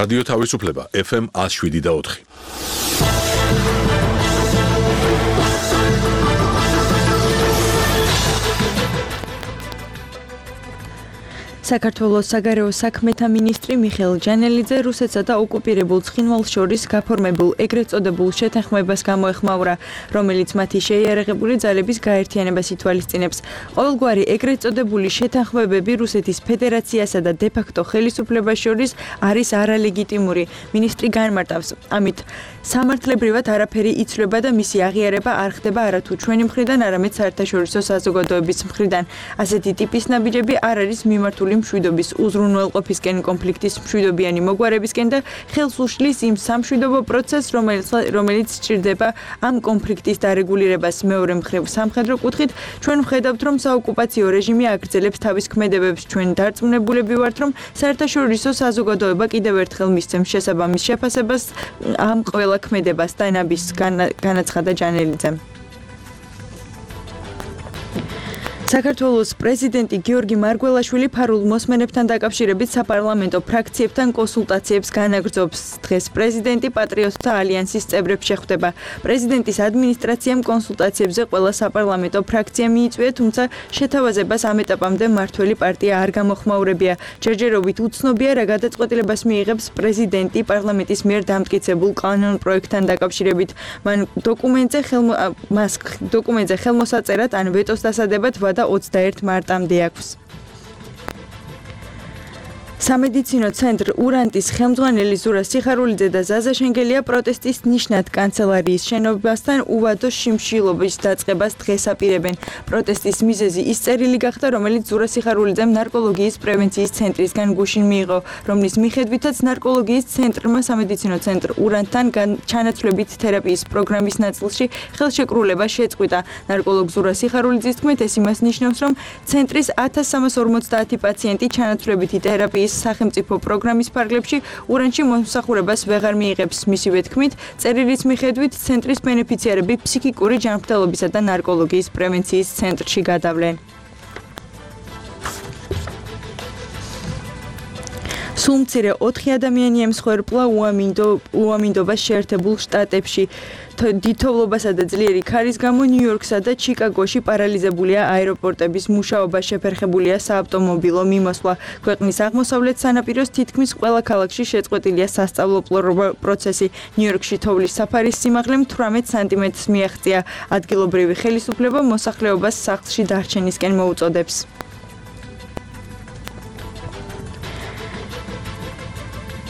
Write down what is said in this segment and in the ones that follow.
რადიო თავისუფლება FM 107.4. საქართველოს საგარეო საქმეთა მინისტრი მიხეილ ჯანელიძე რუსეთსა და ოკუპირებულ ცხინვალს შორის გაფორმებულ ეგრეთ წოდებულ შეთანხმებას გამოეხმაურა, რომელიც მათი შეიარაღებული ძალების გაერთიანებას ითვალისწინებს. ყოველგვარი ეგრეთ წოდებული შეთანხმებები რუსეთის ფედერაციასა და დე-ფაქტო ხელისუფლებას შორის არის არალეგიტიმური. მინისტრი განმარტავს, ამით სამართლებრივად არაფერი იცვლება და მისი აღიარება არ ხდება არათუ ჩვენი მხრიდან, არამედ საერთაშორისო საზოგადოების მხრიდან. ასეთი ტიპის ნაბიჯები არ არის მიმართული მშვიდობის უზრუნველყოფისკენ, კონფლიქტის მშვიდობიანი მოგვარებისკენ და ხელს უშლის იმ სამშვიდობო პროცესს, რომელიც სჭირდება ამ კონფლიქტის დარეგულირებას. მეორე მხრივ, სამხედრო კუთხით ჩვენ ვხედავთ, რომ საოკუპაციო რეჟიმი აგრძელებს თავის ქმედებებს. ჩვენ დარწმუნებულები ვართ, რომ საერთაშორისო საზოგადოება კიდევ ერთხელ მისცემს შესაბამის შეფასებას ამ ყველა ქმედებას, დანაბის განაცხადა ჯანელიძემ. საქართველოს პრეზიდენტი გიორგი მარგველაშვილი ფარულ მოსმენებთან დაკავშირებით საპარლამენტო ფრაქციებთან კონსულტაციებს განაგრძობს. დღეს პრეზიდენტი პატრიოტთა ალიანსის წევრებს შეხვდება. პრეზიდენტის ადმინისტრაციამ კონსულტაციებზე ყველა საპარლამენტო ფრაქცია მიიწვია, თუმცა შეთავაზებას ამ ეტაპამდე მმართველი პარტია არ გამოხმაურებია. ჯერჯერობით უცნობია, რა გადაწყვეტილებას მიიღებს პრეზიდენტი პარლამენტის მიერ დამტკიცებულ კანონ პროექტთან დაკავშირებით. მან დოკუმენტზე ხელმოსაწერად ან ვეტოს დასადებად 21 მარტამდე აქვს. სამედიცინო ცენტრ ურანტის ხელმძღვანელი ზურა სიხარულიძე და ზაზა შენგელია პროტესტის ნიშნად კანცელარიის შენობასთან უვადო შიმშილობის დაწყებას დღეს აპირებენ. პროტესტის მიზეზი ის წერილი გახდა, რომელიც ზურა სიხარულიძემ ნარკოლოგიის პრევენციის ცენტრისგან გუშინ მიიღო, რომლის მიხედვითაც ნარკოლოგიის ცენტრმა სამედიცინო ცენტრ ურანტთან ჩანაცვლებით თერაპიის პროგრამის ნაწილში ხელშეკრულება შეწყვიტა. ნარკოლოგ ზურა სიხარულიძის თქმით, ეს იმას ნიშნავს, რომ ცენტრის 1350 პაციენტი ჩანაცვლებითი თერაპიის სახელმწიფო პროგრამის ფარგლებში ურანში მომსახურებას ვეღარ მიიღებს. მისივე თქმით, წერილის მიხედვით ცენტრის ბენეფიციარები ფსიქიკური ჯანმრთელობისა და ნარკოლოგიის პრევენციის ცენტრში გადავლენ. სულ მცირე 4 ადამიანი ემსხვერპლა უამინდობას შეერთებულ შტატებში. დიდთოვლობასა და ძლიერი ქარის გამო ნიუ-იორკსა და ჩიკაგოში პარალიზებულია აეროპორტების მუშაობა, შეფერხებულია საავტომობილო მიმოსვლა. ქვეყნის აღმოსავლეთ სანაპიროს თითქმის ყველა ქალაქში შეწყვეტილია სასწავლო პროცესი. ნიუ-იორკში თოვლის საფარის სიმაღლე 18 სანტიმეტრს მიაღწია. ადგილობრივი ხელისუფლება მოსახლეობას სახლში დარჩენისკენ მოუწოდებს.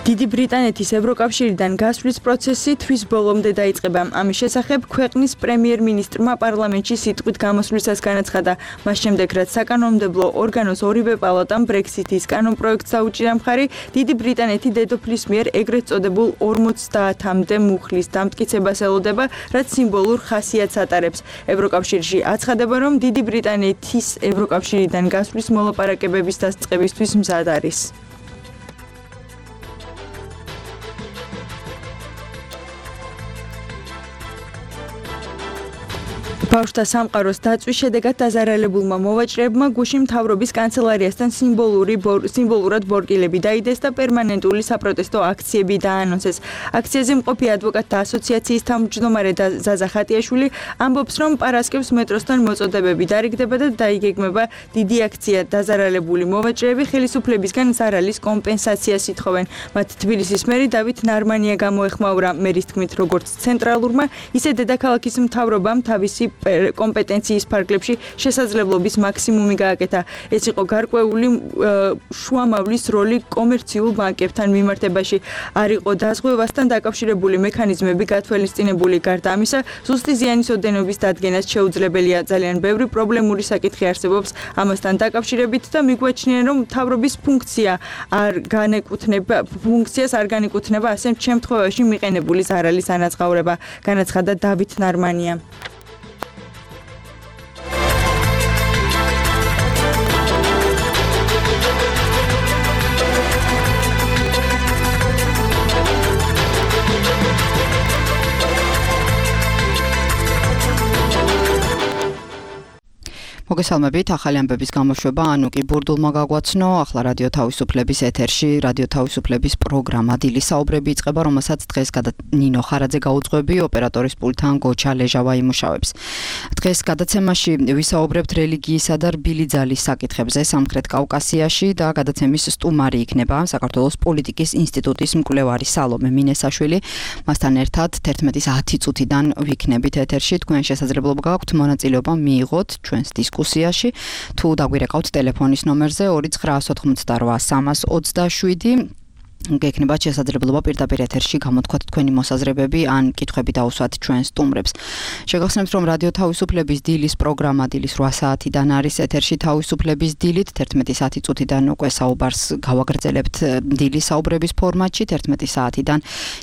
დიდი ბრიტანეთის ევროკავშირიდან გასვლის პროცესი თვის ბოლომდე დაიწყება. ამის შესახებ ქვეყნის პრემიერ-მინისტრმა პარლამენტში სიტყვით გამოსვლისას განაცხადა. მას შემდეგ, რაც საკანონმდებლო ორგანოს ორივე პალატამ ბრექსიტის კანონპროექტს აუჭირა მხარი, დიდი ბრიტანეთი დედოფლის მიერ ეგრეთ წოდებულ 50-მდე მუხლის დამტკიცებას ელოდება, რაც სიმბოლურ ხასიათს ატარებს. ევროკავშირში აცხადება, რომ დიდი ბრიტანეთის ევროკავშირიდან გასვლის მოლაპარაკებების დასწყებისთვის მზად არის. ბავშვთა სამყაროს დაწვის შედეგად დაზარალებულმა მოვაჭრეებმა გუშინ მთავრობის კანცელარიასთან სიმბოლურად ბორკილები დაიდეს და პერმანენტული საპროტესტო აქციები დაანონსეს. აქციაზე მყოფი ადვოკატთა ასოციაციის თავმჯდომარე ზაზა ხატიაშვილი ამბობს, რომ პარასკევს მეტროსთან მოწოდებები დარიგდება და დაიგეგმება დიდი აქცია. დაზარალებული მოვაჭრეები ხელისუფლებისგან ზარალის კომპენსაციას ითხოვენ. მათ თბილისის მერი დავით ნარმანია გამოეხმაურა. მერის თქმით, როგორც ცენტრალურმა, ისე დედაქალაქის მთავრობამ თავისი კომპეტენციის ფარგლებში შესაძლებლობის მაქსიმუმი გააკეთა. ეს იყო გარკვეული შუამავლის როლი კომერციულ ბანკებთან მიმართებაში. არ იყო დაზღვევასთან დაკავშირებული მექანიზმები გათვალისწინებული. გარდა ამისა, ზუსტი ზიანის ოდენობის დადგენაც შეუძლებელია. ძალიან ბევრი პრობლემური საკითხი არსებობს ამასთან დაკავშირებით და მიგვაჩნია, რომ მთავრობის ფუნქციას არ განეკუთვნება ასე შემთხვევაში მიყენებული ზარალის ანაზღაურება, განაცხადა დავით ნარმანია. მოგესალმებით, ახალი ამბების გამოშვება ანუკი ბურდულმა გაგვაცნო, ახლა რადიო თავისუფლების ეთერში, რადიო თავისუფლების პროგრამა დილის საუბრები იწყება, რომელსაც დღეს ნინო ხარაძე გაუძღვები, ოპერატორის პულტთან გოჩა ლეჟავა იმუშავებს. დღეს გადაცემაში ვისაუბრებთ რელიგიისა და რბილი ძალის საკითხებზე სამხრეთ კავკასიაში და გადაცემის სტუმარი იქნება საქართველოს პოლიტიკის ინსტიტუტის მკვლევარი სალომე მინესაშვილი. მასთან ერთად 11:10 წუთიდან ვიქნებით ეთერში, თქვენ შესაძლებლობა გაქვთ მონაწილეობა მიიღოთ ჩვენს დისკუსიაში, თუ დაგვირეკავთ ტელეფონის ნომერზე 2988327 გექნებათ შესაძლებლობა პირდაპირ ეთერში გამოთქვათ თქვენი მოსაზრებები ან კითხვები დაუსვათ ჩვენ სტუმრებს. შეგახსენებთ, რომ რადიო თავისუფლების დილის პროგრამა დილის 8 საათიდან არის ეთერში თავისუფლების დილით, 11:10 წუთიდან უკვე საუბარს გავაგრძელებთ დილის საუბრების ფორმატში, 11 საათიდან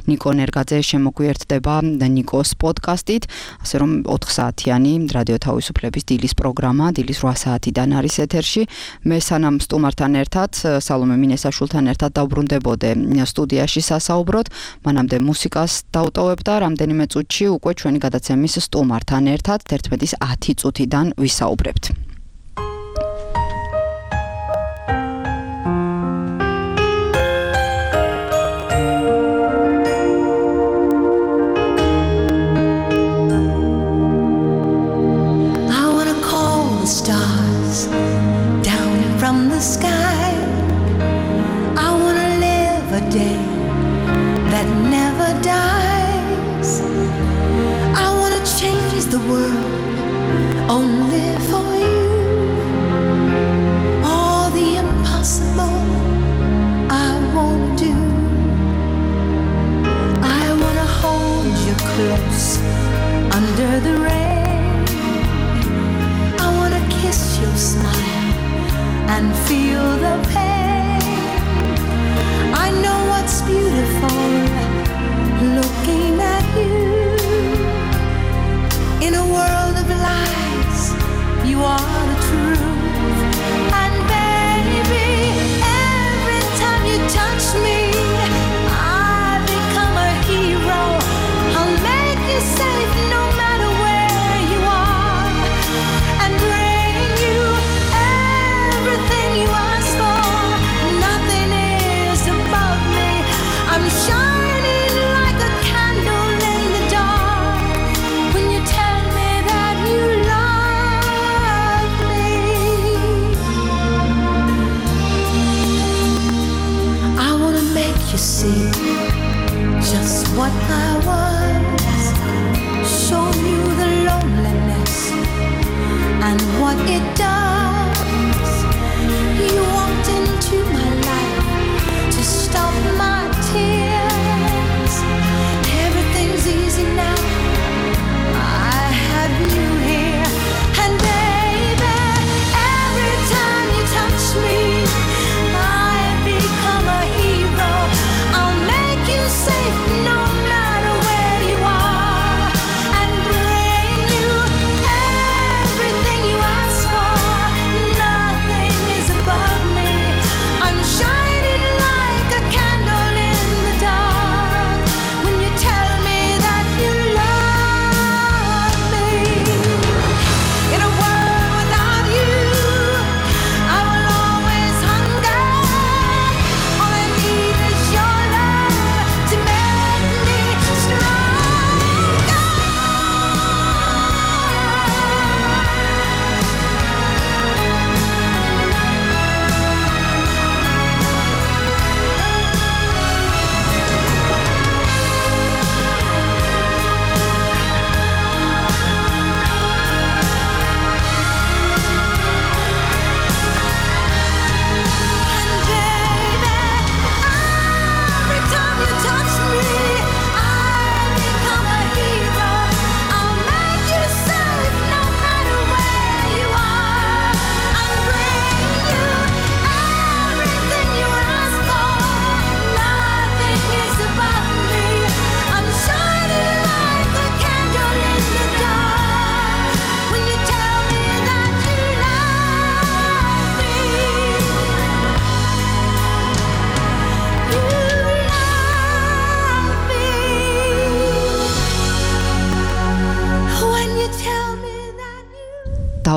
ნიკო ნერგაძე შემოგვიერთდება ნიკოს პოდკასტით, ასე რომ 4 საათიანი რადიო თავისუფლების დილის პროგრამა დილის 8 საათიდან არის ეთერში. მე სანამ სტუმართან ერთად, სალომე მინესაშვილთან ერთად დავბრუნდებოდი სტუდიაში სასაუბროთ, მანამდე მუსიკას დავტოვებ და რამდენიმე წუთში უკვე ჩვენი გადაცემის სტუმართან ერთად 11:10 წუთიდან ვისაუბრებთ. I wanna call the stars down from the sky. A day that never dies. I want to change the world only for you. All the impossible I won't do. I want to hold you close under the rain. I want to kiss your smile and feel the pain. I know what's beautiful looking at you. In a world of lies, you are the truth. And baby, every time you touch me, I become a hero. I'll make you safe no matter where you are, and bring you everything you ask for.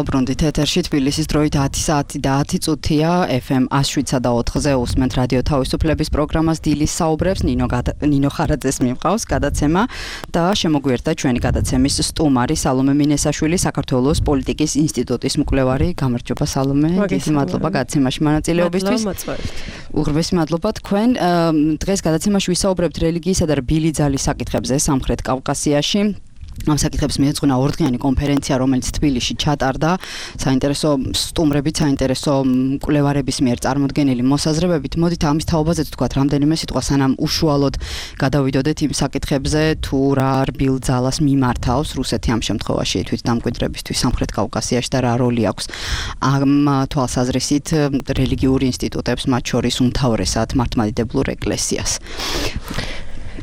დავბრუნდით ეთერში თბილისის დროით 10 საათი და 10 წუთია FM 107.4-ზე უსმენთ რადიო თავისუფლების პროგრამას დილის საუბრებს ნინო ხარაძეს მიმყავს გადაცემა და შემოგვიერთდა ჩვენი გადაცემის სტუმარი სალომე მინესაშვილი საქართველოს პოლიტიკის ინსტიტუტის მკვლევარი. გამარჯობა სალომე, დიდი მადლობა გადაცემაში მონაწილეობისთვის. უღრმესი მადლობა თქვენ. დღეს გადაცემაში ვისაუბრებთ რელიგიისა და რბილი ძალის საკითხებზე სამხრეთ კავკასიაში. ამ საკითხებს მიეძღვნა ორდღიანი კონფერენცია, რომელიც თბილისში ჩატარდა. საინტერესო სტუმრებით, საინტერესო მკვლევარების მიერ წარმოდგენილი მოსაზრებებით. მოდით ამის თაობაზე თქვათ რამდენიმე სიტყვა, სანამ უშუალოდ გადავიდოდეთ იმ საკითხებზე, თუ რა რბილ ძალას მიმართავს რუსეთი ამ შემთხვევაში თვითდამკვიდრებისთვის სამხრეთ კავკასიაში და რა როლი აქვს ამ თვალსაზრისით რელიგიურ ინსტიტუტებს, მათ შორის უმთავრესად მართლმადიდებლურ ეკლესიას.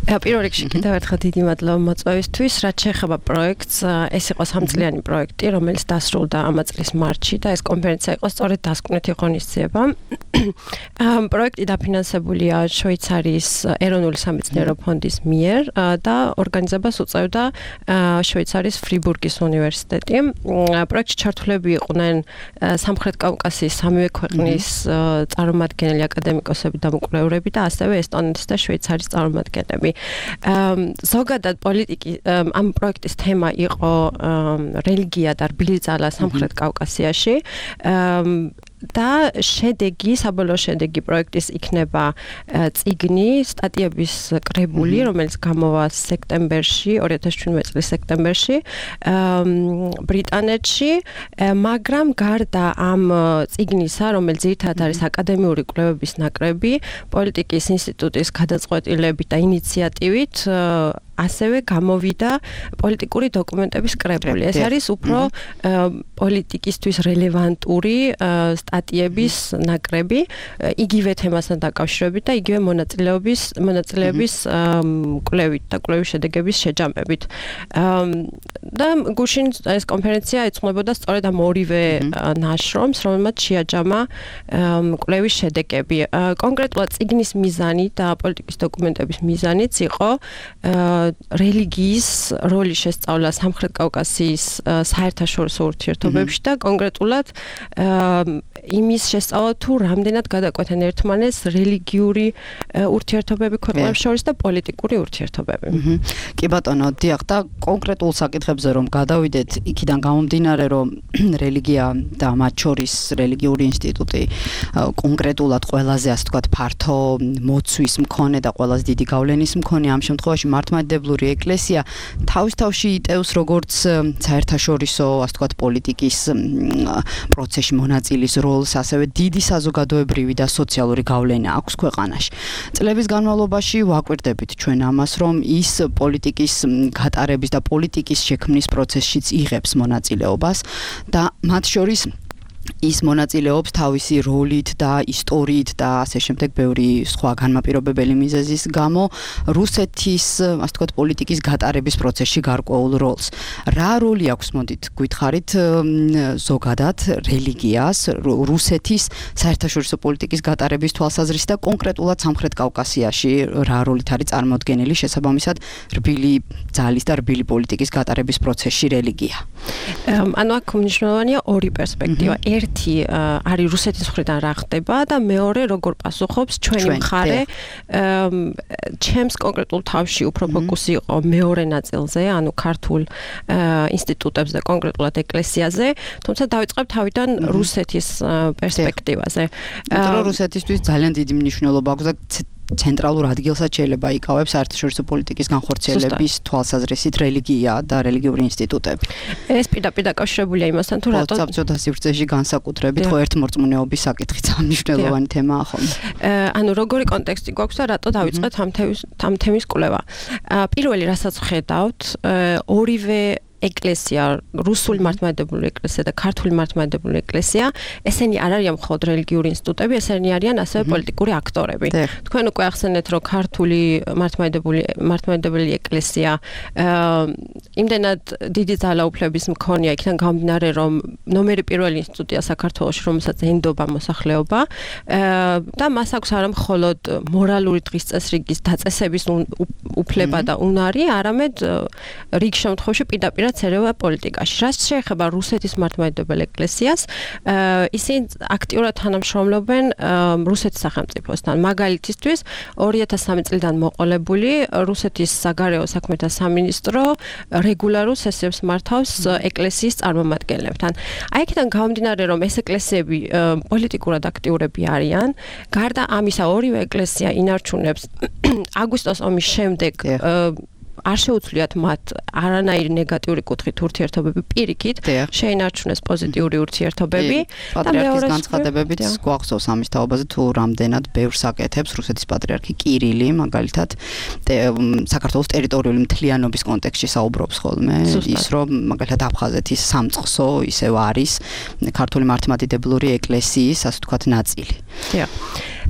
პირველ რიგში კიდევ ერთხელ დიდი მადლობა მოწვევისთვის. რაც შეეხება პროექტს, ეს იყო 3-წლიანი პროექტი, რომელიც დასრულდა ამ წლის მარტში და ეს კონფერენცია იყო სწორედ დასკვნითი ღონისძიება. პროექტი დაფინანსებულია შვეიცარიის ეროვნული სამეცნიერო ფონდის მიერ და ორგანიზებას უწევდა შვეიცარიის ფრიბურგის უნივერსიტეტი. პროექტში ჩართულები იყვნენ სამხრეთ კავკასიის სამივე ქვეყნის წარმომადგენელი აკადემიკოსები და მკვლევრები და ასევე ესტონეთის და შვეიცარიის წარმომადგენლები. ზოგადად ამ პროექტის თემა იყო რელიგია და რბილი ძალა სამხრეთ კავკასიაში და საბოლოო შედეგი პროექტის იქნება წიგნი, სტატიების კრებული, რომელიც გამოვა სექტემბერში, 2017 წლის სექტემბერში ბრიტანეთში, მაგრამ გარდა ამ წიგნისა, რომელიც ძირითადად არის აკადემიური კვლევების ნაკრები, პოლიტიკის ინსტიტუტის გადაწყვეტილებით და ინიციატივით ასევე გამოვიდა პოლიტიკური დოკუმენტების კრებული. ეს არის უფრო პოლიტიკისთვის რელევანტური სტატიების ნაკრები, იგივე თემასთან დაკავშირებით და იგივე მონაწილეების კვლევით და კვლევის შედეგების შეჯამებით. და გუშინ ეს კონფერენცია ეძღვნებოდა სწორედ ამ ორივე ნაშრომს, რომელმაც შეაჯამა კვლევის შედეგები. კონკრეტულად წიგნის მიზანი და პოლიტიკის დოკუმენტების მიზანიც იყო რელიგიის როლის შესწავლა სამხრეთ კავკასიის საერთაშორისო ურთიერთობებში და კონკრეტულად იმის შესწავლა თუ რამდენად გადაკვეთენ ერთმანეთს რელიგიური ურთიერთობები ქვეყნებს შორის და პოლიტიკური ურთიერთობები. კი ბატონო, დიახ, და კონკრეტულ საკითხებზე რომ გადავიდეთ, იქიდან გამომდინარე რომ რელიგია და მათ შორის რელიგიური ინსტიტუტი კონკრეტულად ყველაზე ასე ვთქვათ ფართო მოცვის მქონე და ყველაზე დიდი გავლენის მქონე ამ შემთხვევაში მართლმადიდებლური ეკლესია თავის-თავში იტევს როგორც საერთაშორისო ასე ვთქვათ პოლიტიკის პროცესში მონაწილის როლს, ასევე დიდი საზოგადოებრივი და სოციალური გავლენა აქვს ქვეყანაში. წლების განმავლობაში ვაკვირდებით ჩვენ ამას, რომ ის პოლიტიკის გატარების და პოლიტიკის შექმნის პროცესშიც იღებს მონაწილეობას და მათ შორის ის მონაწილეობს თავისი როლით და ისტორიით და ასე შემდეგ ბევრი სხვა განმაპირობებელი მიზეზის გამო რუსეთის ასე ვთქვათ პოლიტიკის გატარების პროცესში გარკვეულ როლს. რა როლი აქვს, მოდით გითხარით ზოგადად რელიგიას რუსეთის საერთაშორისო პოლიტიკის გატარების თვალსაზრისით და კონკრეტულად სამხრეთ კავკასიაში რა როლით არის წარმოდგენილი შესაბამისად რბილი ძალის და რბილი პოლიტიკის გატარების პროცესში რელიგია? ანუ აქ მნიშვნელოვანია ორი პერსპექტივა. ერთი არის რუსეთის მხრიდან რა ხდება და მეორე როგორ პასუხობს ჩვენი მხარე. ჩემს კონკრეტულ თავში უფრო ფოკუსი იყო მეორე ნაწილზე, ანუ ქართულ ინსტიტუტებს და კონკრეტულად ეკლესიაზე, თუმცა დავიწყებ თავიდან რუსეთის პერსპექტივაზე. იმიტომ რომ რუსეთისთვის ძალიან დიდი მნიშვნელობა აქვს და ცენტრალურ ადგილსაც შეიძლება იკავებს საერთაშორისო პოლიტიკის განხორციელების თვალსაზრისით რელიგია და რელიგიური ინსტიტუტები. ეს პირდაპირ დაკავშირებულია იმასთან, თუ რატო საბჭოთა სივრცეში განსაკუთრებით ხო ერთმორწმუნეობის საკითხიც მნიშვნელოვანი თემაა ხოლმე. ანუ როგორი კონტექსტი გვაქვს და რატო დავიწყეთ ამ თემის კვლევა. პირველი რასაც ხედავთ, ორივე ეკლესია, რუსული მართლმადიდებლური ეკლესია და ქართული მართლმადიდებლური ეკლესია, ესენი არ არიან მხოლოდ რელიგიური ინსტიტუტები, ესენი არიან ასევე პოლიტიკური აქტორები. თქვენ უკვე ახსენეთ, რომ ქართული მართლმადიდებლური ეკლესია იმდენად დიდი ძალაუფლების მქონეა, იქიდან გამომდინარე, რომ ნომერი პირველი ინსტიტუტია საქართველოში, რომელსაც ენდობა მოსახლეობა და მას აქვს არა მხოლოდ მორალური დღის წესრიგის დაწესების უფლება და უნარი, არამედ რიგ შემთხვევაში პირდაპირ აქტიურად ერევა პოლიტიკაში. რაც შეეხება რუსეთის მართლმადიდებელ ეკლესიას, ისინი აქტიურად თანამშრომლობენ რუსეთის სახელმწიფოსთან. მაგალითისთვის 2003 წლიდან მოყოლებული რუსეთის საგარეო საქმეთა სამინისტრო რეგულარულ სესიებს მართავს ეკლესიის წარმომადგენლებთან. აი აქედან გამომდინარე, რომ ეს ეკლესიები პოლიტიკურად აქტიურები არიან, გარდა ამისა ორივე ეკლესია ინარჩუნებს აგვისტოს ომის შემდეგ არ შეუძლიათ მათ არანაირი ნეგატიური კუთხით ურთიერთობები პირიქით, შეინარჩუნეს პოზიტიური ურთიერთობები და მეორე განცხადებებით გვახსოვს ამის თაობაზე თუ რამდენად ბევრს აკეთებს რუსეთის პატრიარქი კირილი, მაგალითად საქართველოს ტერიტორიული მთლიანობის კონტექსტში საუბრობს ხოლმე, ის რომ მაგალითად აფხაზეთის სამწყსო ისევ არის ქართული მართლმადიდებლური ეკლესიის, ასე ვთქვათ, ნაწილი.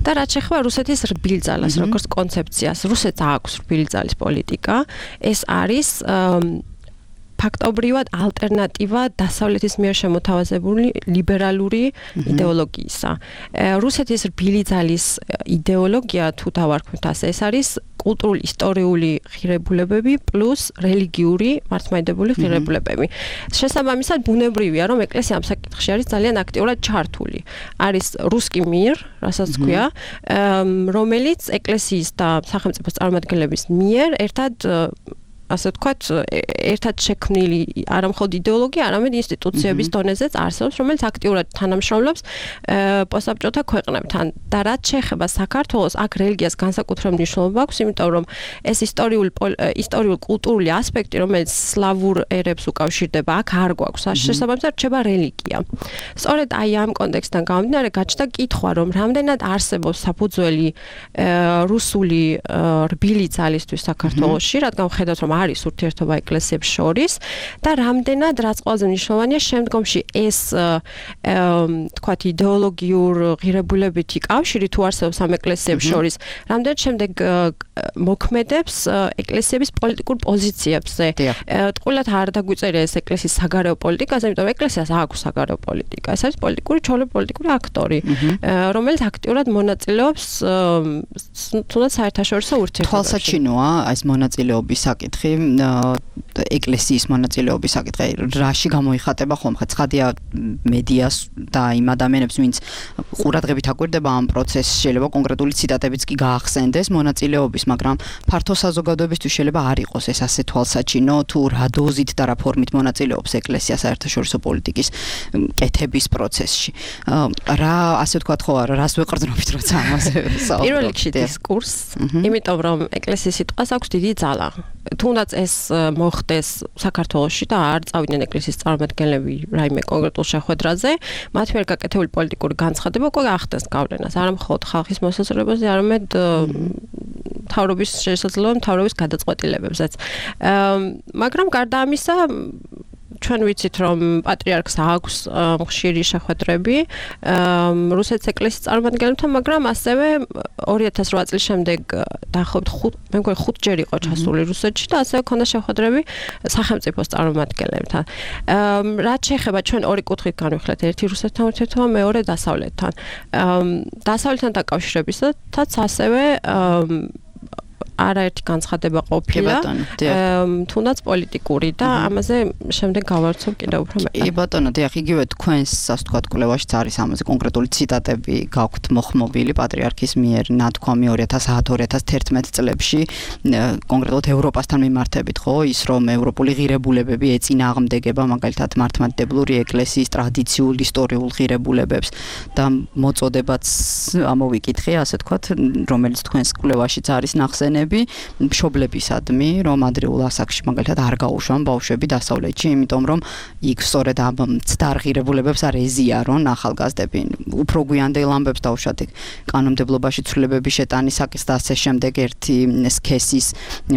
და რაც შეეხება რუსეთის რბილძალას, როგორც კონცეფციას, რუსეთს აქვს რბილძალის პოლიტიკა. ეს არის ფაქტობრივად ალტერნატივა დასავლეთის მიერ შემოთავაზებული ლიბერალური იდეოლოგიისა. რუსეთის რბილძალის იდეოლოგია თუ დავარქვით ასე, ეს არის კულტურული ისტორიული ღირებულებები პლუს რელიგიური მართლმადიდებლური ღირებულებები. შესაბამისად, ბუნებრივია, რომ ეკლესია ამ საკითხში არის ძალიან აქტიურად ჩართული. არის რუსკი მირ, რასაც ქვია, რომელიც ეკლესიის და სახელმწიფოს წარმომადგენლების მიერ ერთად ასე ვთქვათ, ერთად შექმნილი არა მხოლოდ იდეოლოგია, არამედ ინსტიტუციების დონეზეც არსებობს, რომელიც აქტიურად თანამშრომლობს პოსტსაბჭოთა ქვეყნებთან. და რაც შეეხება საქართველოს, აქ რელიგიას განსაკუთრებული მნიშვნელობა აქვს, იმიტომ რომ ეს ისტორიულ კულტურული ასპექტი, რომელიც სლავურ ერებს უკავშირდება, აქ არ გვაქვს. შესაბამისად, რჩება რელიგია. სწორედ აი ამ კონტექსტიდან გამომდინარე, გაჩნდა კითხვა, რომ რამდენად არსებობს საფუძველი რუსული რბილი ძალისთვის საქართველოში, რადგან ხედავთ, რომ არის ურთიერთობა ეკლესიებს შორის და რამდენად რაც ყველაზე მნიშვნელოვანია შემდგომში ეს თქვათ იდეოლოგიურ ღირებულებითი კავშირი თუ არსებობს ამ ეკლესიებს შორის რამდენად შემდეგ მოქმედებს ეკლესიების პოლიტიკურ პოზიციებზე. ტყუილად არ დაგვიწერია ეს ეკლესიის საგარეო პოლიტიკაზე, იმიტომ ეკლესიას აქვს საგარეო პოლიტიკა. ეს არის პოლიტიკური ჩვეულებრივი პოლიტიკური აქტორი, რომელიც აქტიურად მონაწილეობს თუნდაც საერთაშორისო ურთიერთობებში. თვალსაჩინოა ეს მონაწილეობის საკითხი. ეკლესიის მონაწილეობის საკითხი რაში გამოიხატება ხოლმე ცხადია მედიას და იმ ადამიანებს ვინც ყურადღებით აკვირდება ამ პროცესს შეიძლება კონკრეტული ციტატებიც კი გაახსენდეს მონაწილეობის მაგრამ ფართო საზოგადოებისთვის შეიძლება არ იყოს ეს ასე თვალსაჩინო თუ რა დოზით და რა ფორმით მონაწილეობს ეკლესია საერთაშორისო პოლიტიკის კეთების პროცესში რა ასე ვთქვათ ხო არა რას ვეყრდნობით როცა ამაზე საუბრობთ პირველ რიგში დისკურსს იმიტომ რომ ეკლესიის სიტყვას აქვს დიდი ძალა თუნდაც ეს მოხდეს საქართველოში და არ წავიდნენ ეკლესიის წარმომადგენლები რაიმე კონკრეტულ შეხვედრაზე, მათ მიერ გაკეთებული პოლიტიკური განცხადება უკვე ახდენს გავლენას, არა მხოლოდ ხალხის მოსაზრებაზე, არამედ მთავრობის შესაძლებლობ მთავრობის გადაწყვეტილებებზეც. მაგრამ გარდა ამისა ჩვენ ვიცით რომ პატრიარქს აქვს ხშირი შეხვედრები რუსეთის ეკლესიის წარმომადგენლებთან, მაგრამ ასევე 2008 წლის შემდეგ დაახლოებით მე მგონი 5 ჯერ იყო ჩასული რუსეთში და ასევე ქონდა შეხვედრები სახელმწიფოს წარმომადგენლებთან. რაც შეეხება ჩვენ ორი კუთხით განვიხილეთ, ერთი რუსეთთან ურთიერთობა, მეორე დასავლეთთან. დასავლეთთან დაკავშირებისათაც ასევე არაერთი განცხადება ყოფილა, თუნდაც პოლიტიკური და ამაზე შემდეგ გავარცობ კიდევ უფრო მეტად. კი ბატონო, დიახ, იგივე თქვენს ასე ვთქვათ კვლევაშიც არის ამაზე კონკრეტული ციტატები გაქვთ მოხმობილი პატრიარქის მიერ ნათქვამი 2010-2011 წლებში კონკრეტულად ევროპასთან მიმართებით, ხო, ის რომ ევროპული ღირებულებები ეწინააღმდეგება მაგალითად მართლმადიდებლური ეკლესიის ტრადიციულ ისტორიულ ღირებულებებს და მოწოდებაც ამოვიკითხე, ასე ვთქვათ, რომელიც თქვენს კვლევაშიც არის ნახსენები მშობლებისადმი, რომ ადრეულ ასაკში მაგალითად არ გაუშვან ბავშვები დასავლეთში, იმიტომ რომ იქ სწორედ ამ მცდარ ღირებულებებს არ ეზიარონ ახალგაზრდები. უფრო გვიანდელ ამბებს დავუშვათ იქ კანონმდებლობაში ცვლილებების შეტანისაკის და ასე შემდეგ ერთი სქესის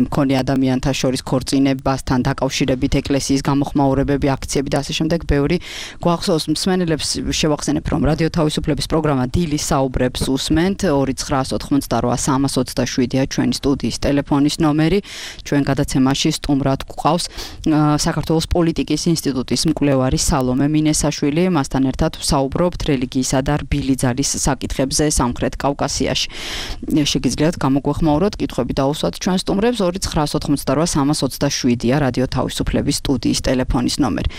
მქონე ადამიანთა შორის ქორწინებასთან დაკავშირებით ეკლესიის გამოხმაურებები, აქციები და ასე შემდეგ ბევრი გვახსოვს მსმენელებს შევახსენებ, რომ რადიო თავისუფლების პროგრამა დილის საუბრებს უსმენთ 2988327-ია ჩვენი სტუდიის ტელეფონის ნომერი, ჩვენ გადაცემაში სტუმრად გვყავს საქართველოს პოლიტიკის ინსტიტუტის მკვლევარი სალომე მინესაშვილი, მასთან ერთად ვსაუბრობთ რელიგიისა და და რბილი ძალის საკითხებზე სამხრეთ კავკასიაში. შეგიძლიათ გამოგვეხმაუროთ, კითხვები დაუსვათ ჩვენ სტუმრებს 2988327-ია რადიო თავისუფლების სტუდიის ტელეფონის ნომერი.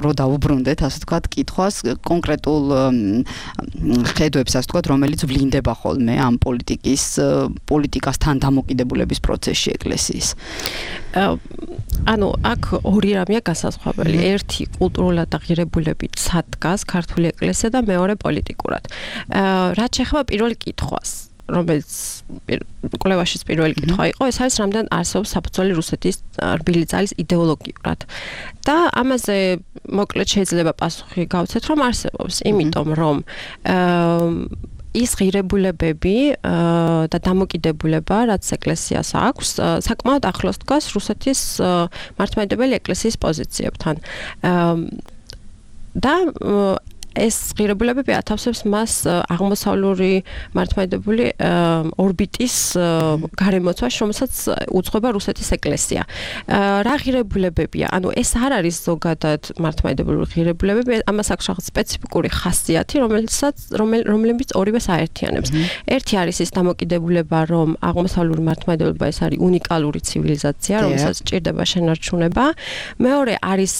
რო დაუბრუნდეთ, ასე ვთქვათ, კითხვას კონკრეტულ ხედვებს, ასე ვთქვათ, რომელიც ვლინდება ხოლმე ამ პოლიტიკასთან დამოკიდებულების პროცესში ეკლესიის. ანუ აქ ორი რამეა განსაზღვრებელი. ერთი კულტურულად აღიარებულებით სადგას ქართული ეკლესია და მეორე პოლიტიკურად. რაც შეეხება პირველ კითხვას, რომელიც კვლევაშიც პირველი კითხვა იყო, ეს არის რამდენ არსებობს საფუძველი რუსეთის რბილი ძალის იდეოლოგიურად. და ამაზე მოკლედ შეიძლება პასუხი გავცეთ, რომ არსებობს, იმიტომ რომ ის ღირებულებები და დამოკიდებულება, რაც ეკლესიას აქვს, საკმაოდ ახლოს დგას რუსეთის მართლმადიდებელი ეკლესიის პოზიციებთან. და ეს ღირებულებები ათავსებს მას აღმოსავლური მართლმადიდებელი ორბიტის გარემოცვაში, რომელსაც უძღვება რუსეთის ეკლესია. რა ღირებულებებია? ანუ ეს არ არის ზოგადად მართლმადიდებელი ღირებულებები, ამას აქვს რაღაც სპეციფიკური ხასიათი, რომლებიც ორივეს აერთიანებს. ერთი არის ის დამოკიდებულება, რომ აღმოსავლური მართლმადიდებლობა ეს არის უნიკალური ცივილიზაცია, რომელსაც სჭირდება შენარჩუნება. მეორე არის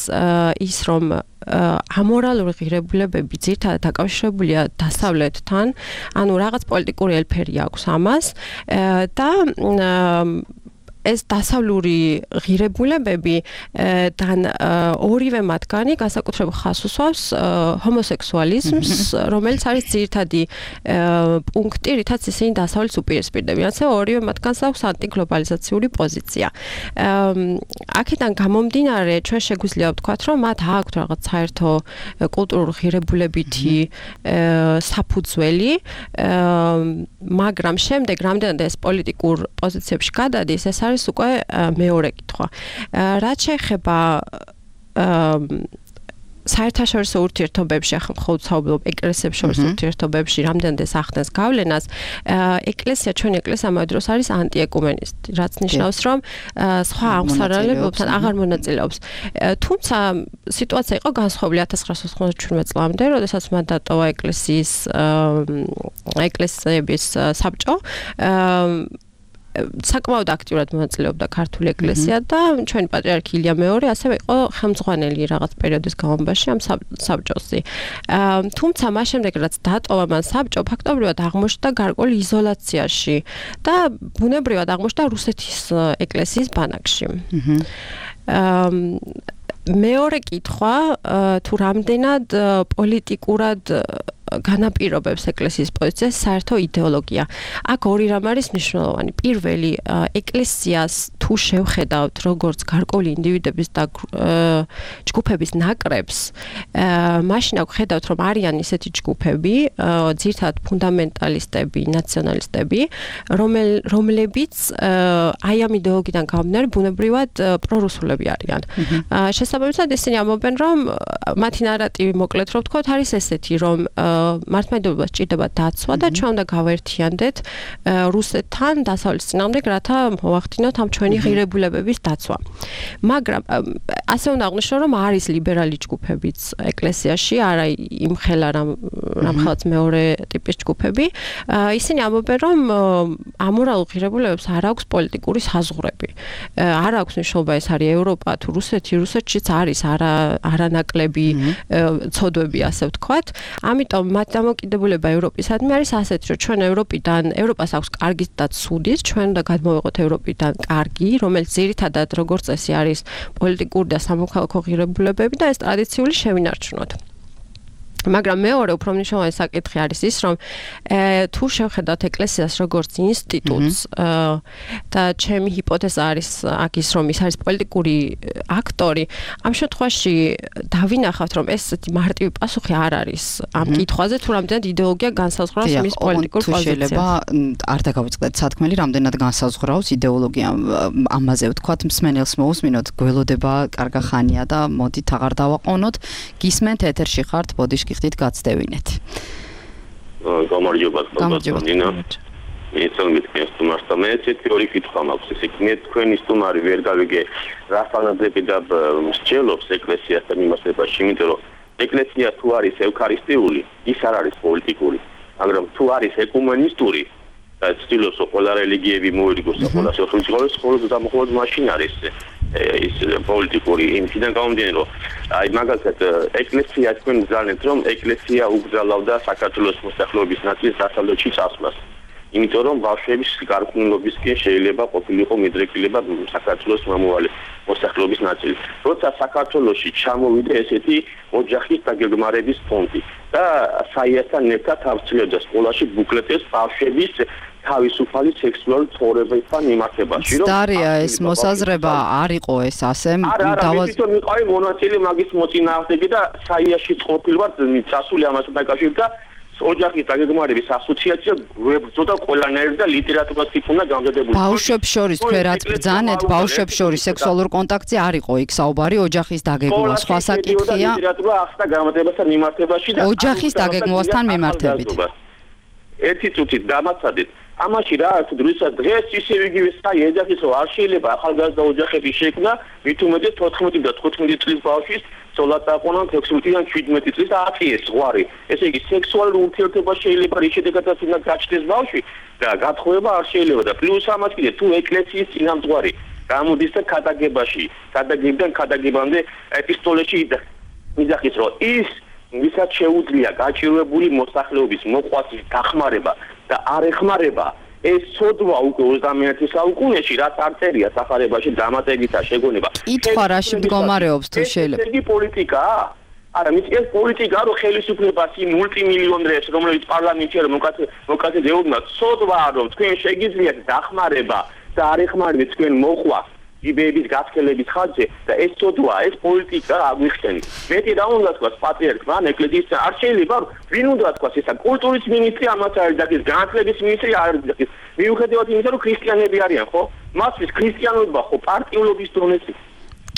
ის, რომ ამორალური ღირებულებები ძირითადად დაკავშირებულია დასავლეთთან, ანუ რაღაც პოლიტიკური ელფერი აქვს ამას და ეს დასავლური ღირებულებები და ორივე მათგანი განსაკუთრებულ ხაზს უსვავს ჰომოსექსუალიზმს, რომელიც არის ძირითადი პუნქტი, რითაც ისინი დასავლეთს უპირისპირდებიან. ასე ორივე მათგანს აქვს ანტიგლობალიზაციური პოზიცია. აქედან გამომდინარე, ჩვენ შეგვიძლია ვთქვათ, რომ მათ აქვთ რაღაც საერთო კულტურულ ღირებულებითი საფუძველი, მაგრამ შემდეგ რამდენად ეს პოლიტიკურ პოზიციებში გადადის, ეს არის უკვე მეორე კითხვა. რაც შეეხება საერთაშორისო ურთიერთობებში, ახლა მხოლოდ საუბრობ ეკლესიებს შორის ურთიერთობებში, რამდენად ეს ახდენს გავლენას, ჩვენი ეკლესია ამ დროს არის ანტიეკუმენისტი, რაც ნიშნავს, რომ სხვა აღმსარალებებთან აღარ მონაწილეობს. თუმცა სიტუაცია იყო განსხვავებული 1997 წლამდე, როდესაც მან დატოვა ეკლესიების საბჭო. საკმაოდ აქტიურად მონაწილეობდა ქართული ეკლესია და ჩვენი პატრიარქი ილია მეორე ასევე იყო ხელმძღვანელი რაღაც პერიოდის განმავლობაში ამ საბჭოსი. თუმცა მას შემდეგ რაც დატოვა მან საბჭო, ფაქტობრივად აღმოჩნდა გარკვეული იზოლაციაში და ბუნებრივად აღმოჩნდა რუსეთის ეკლესიის ბანაკში. მეორე კითხვა, თუ რამდენად პოლიტიკურად განაპირობებს ეკლესიის პოზიციას საერთო იდეოლოგია. აქ ორი რამ არის მნიშვნელოვანი. პირველი, ეკლესიას თუ შევხედავთ როგორც გარკვეული ინდივიდების და ჯგუფების ნაკრებს, მაშინ აქ ხედავთ, რომ არიან ისეთი ჯგუფები, ძირითადად ფუნდამენტალისტები, ნაციონალისტები, რომლებიც აი ამ იდეოლოგიიდან გამომდინარე ბუნებრივად პრორუსულები არიან. შესაბამისად, ისინი ამბობენ, რომ მათი ნარატივი მოკლედ რო ვთქვათ, არის ესეთი, რომ მართლმადიდებლობას სჭირდება დაცვა და ჩვენ უნდა გავაერთიანდეთ რუსეთთან დასავლეთის წინააღმდეგ, რათა მოვახდინოთ ამ ჩვენი ღირებულებების დაცვა. მაგრამ ასე უნდა აღნიშნო, რომ არის ლიბერალი ჯგუფებიც ეკლესიაში, არა იმხელა რამხელაც მეორე ტიპის ჯგუფები. ისინი ამბობენ, რომ ამორალურ ღირებულებებს არ აქვს პოლიტიკური საზღვრები. არ აქვს მნიშვნელობა ეს არის ევროპა თუ რუსეთი, რუსეთშიც არის არანაკლები ცოდვები, ასე ვთქვათ. ამიტომ მათ დამოკიდებულება ევროპისადმი არის ასეთი, რომ ჩვენ ევროპას აქვს კარგი და ცუდი, ჩვენ უნდა გადმოვიღოთ ევროპიდან კარგი, რომელიც ძირითადად როგორც წესი არის პოლიტიკური და სამოქალაქო ღირებულებები და ეს ტრადიციული შევინარჩუნოთ. მაგრამ მეორე უფრო მნიშვნელოვანი საკითხი არის ის, რომ თუ შევხედავთ ეკლესიას როგორც ინსტიტუტს და ჩემი ჰიპოთეზა არის აქ ის, რომ ის არის პოლიტიკური აქტორი, ამ შემთხვევაში დავინახავთ, რომ ესეთი მარტივი პასუხი არ არის ამ კითხვაზე, თუ რამდენად იდეოლოგია განსაზღვრავს მის პოლიტიკურ პოზიციას. შეიძლება არ დაგავიწყდეთ სათქმელი, რამდენად განსაზღვრავს იდეოლოგია, ამაზე ვთქვათ, მსმენელს მოусმინოთ, გველოდება კარგა ხანია და მოდით აღარ დავაყოვნოთ. გისმენთ ეთერში ხართ, ბოდიშ ხდით გაცდევინეთ. გამარჯობა, ნინა. მიცემთ სტუმარს და მე თითოეული კითხვა მაქვს. ესე იგი, თქვენი სტუმარი ვერ გავიგე რა ფანაზები და მსჯელობს ეკლესიასთან იმასებაში, იმიტომ რომ ეკლესია თუ არის ევქარისტიული, ის არ არის პოლიტიკური, მაგრამ თუ არის ეკუმენისტური და ცდილობს ყველა რელიგიები მოერგოს და ყველა შეხვედრებს ხოლმე და მხოლოდ მაშინ არის ის პოლიტიკური იმიდან გამომდინარე რომ აი მაგალითად ეკლესია თქვენ გზავნეთ რომ ეკლესია უგზალავდა საქართველოს მოსახლეობის ნაწილს დასავლეთში წასვლას იმიტომ რომ ბავშვების გარკვეულობისკენ შეიძლება ყოფილიყო მიდრეკილება საქართველოს მომავალი მოსახლეობის ნაწილი. როცა საქართველოში ჩამოვიდა ესეთი ოჯახის დაგეგმარების ფონდი და საიასთან ერთად ავწილებდა სკოლაში ბუკლეტებს ბავშვების თავისუფალი სექსუალური ცხოვრებასთან მიმართებაში. დარია ეს მოსაზრება არ იყო ეს ასე დავაზრდა მიყავი მონაწილე მაგის მოწინააღმდეგე და საიაში ყოფილვარ წასული ამასთან დაკავშირებით და ოჯახის დაგეგმარების ასოციაცია გვებრძოდა ყველანაირად და ლიტერატურას იქნა გამზადებული. ბავშვებს შორის თქვენ რაც ბრძანეთ, ბავშვებს შორის სექსუალურ კონტაქტზე არ იყო იქ საუბარი ოჯახის დაგეგმვა, სხვა საკითხია. ლიტერატურა ახსნა გამზადებასთან მიმართებაში და ოჯახის დაგეგმვასთან მიმართებით. ერთი წუთით დამაცადეთ. ამაში რა აქვს დროსაც დღეს ისევ იგივე საი ეძახის რომ არ შეიძლება ახალგაზრდა ოჯახების შექმნა, მით უმეტეს 14 და 15 წლის ბავშვის სოლატაყონან 16-დან 17 წლის აწიეს ზღვარი. ესე იგი სექსუალური ურთიერთობა შეიძლება რის შედეგადაც უნდა გაჩნდეს ბავშვი და გათხოვება არ შეიძლება და პლუს ამას კიდე თუ ეკლესიის წინამძღვარი გამოდის და ქადაგებაში, ქადაგებიდან ქადაგებამდე ეპისტოლეში იძახის რომ ის ვისაც შეუძლია გაჭირვებული მოსახლეობის მოყვასის დახმარება და არ ეხმარება ეს სოდვა უკვე 21 საუკუნეში რაც არ წერია სახარებაში დამატებითა შეგონება. კითხვა რაში მდგომარეობს თუ შეიძლება. ეს პოლიტიკაა? არა, ეს პოლიტიკა რო ხელისუფლებას იმ მულტიმილიონერებს რომლებიც პარლამენტში არ მოკაცებულმა სოდვა რომ თქვენ შეგიძლიათ დახმარება და არ ეხმარებით თქვენ მოყვა იბების გასქელების ხარჯზე და ეს სოდვა ეს პოლიტიკა აგვიხსენით. მეტი რა უნდა თქვას პატრიარქმა ან ეკლესიის არ შეიძლება ვინ უნდა თქვას ესა კულტურის მინისტრი ამას არის და ის განათლების მინისტრი არ არის და მიუხედავად იმისა რომ ქრისტიანები არიან ხო? მასთვის ქრისტიანობა ხო პარტიულობის დონეზე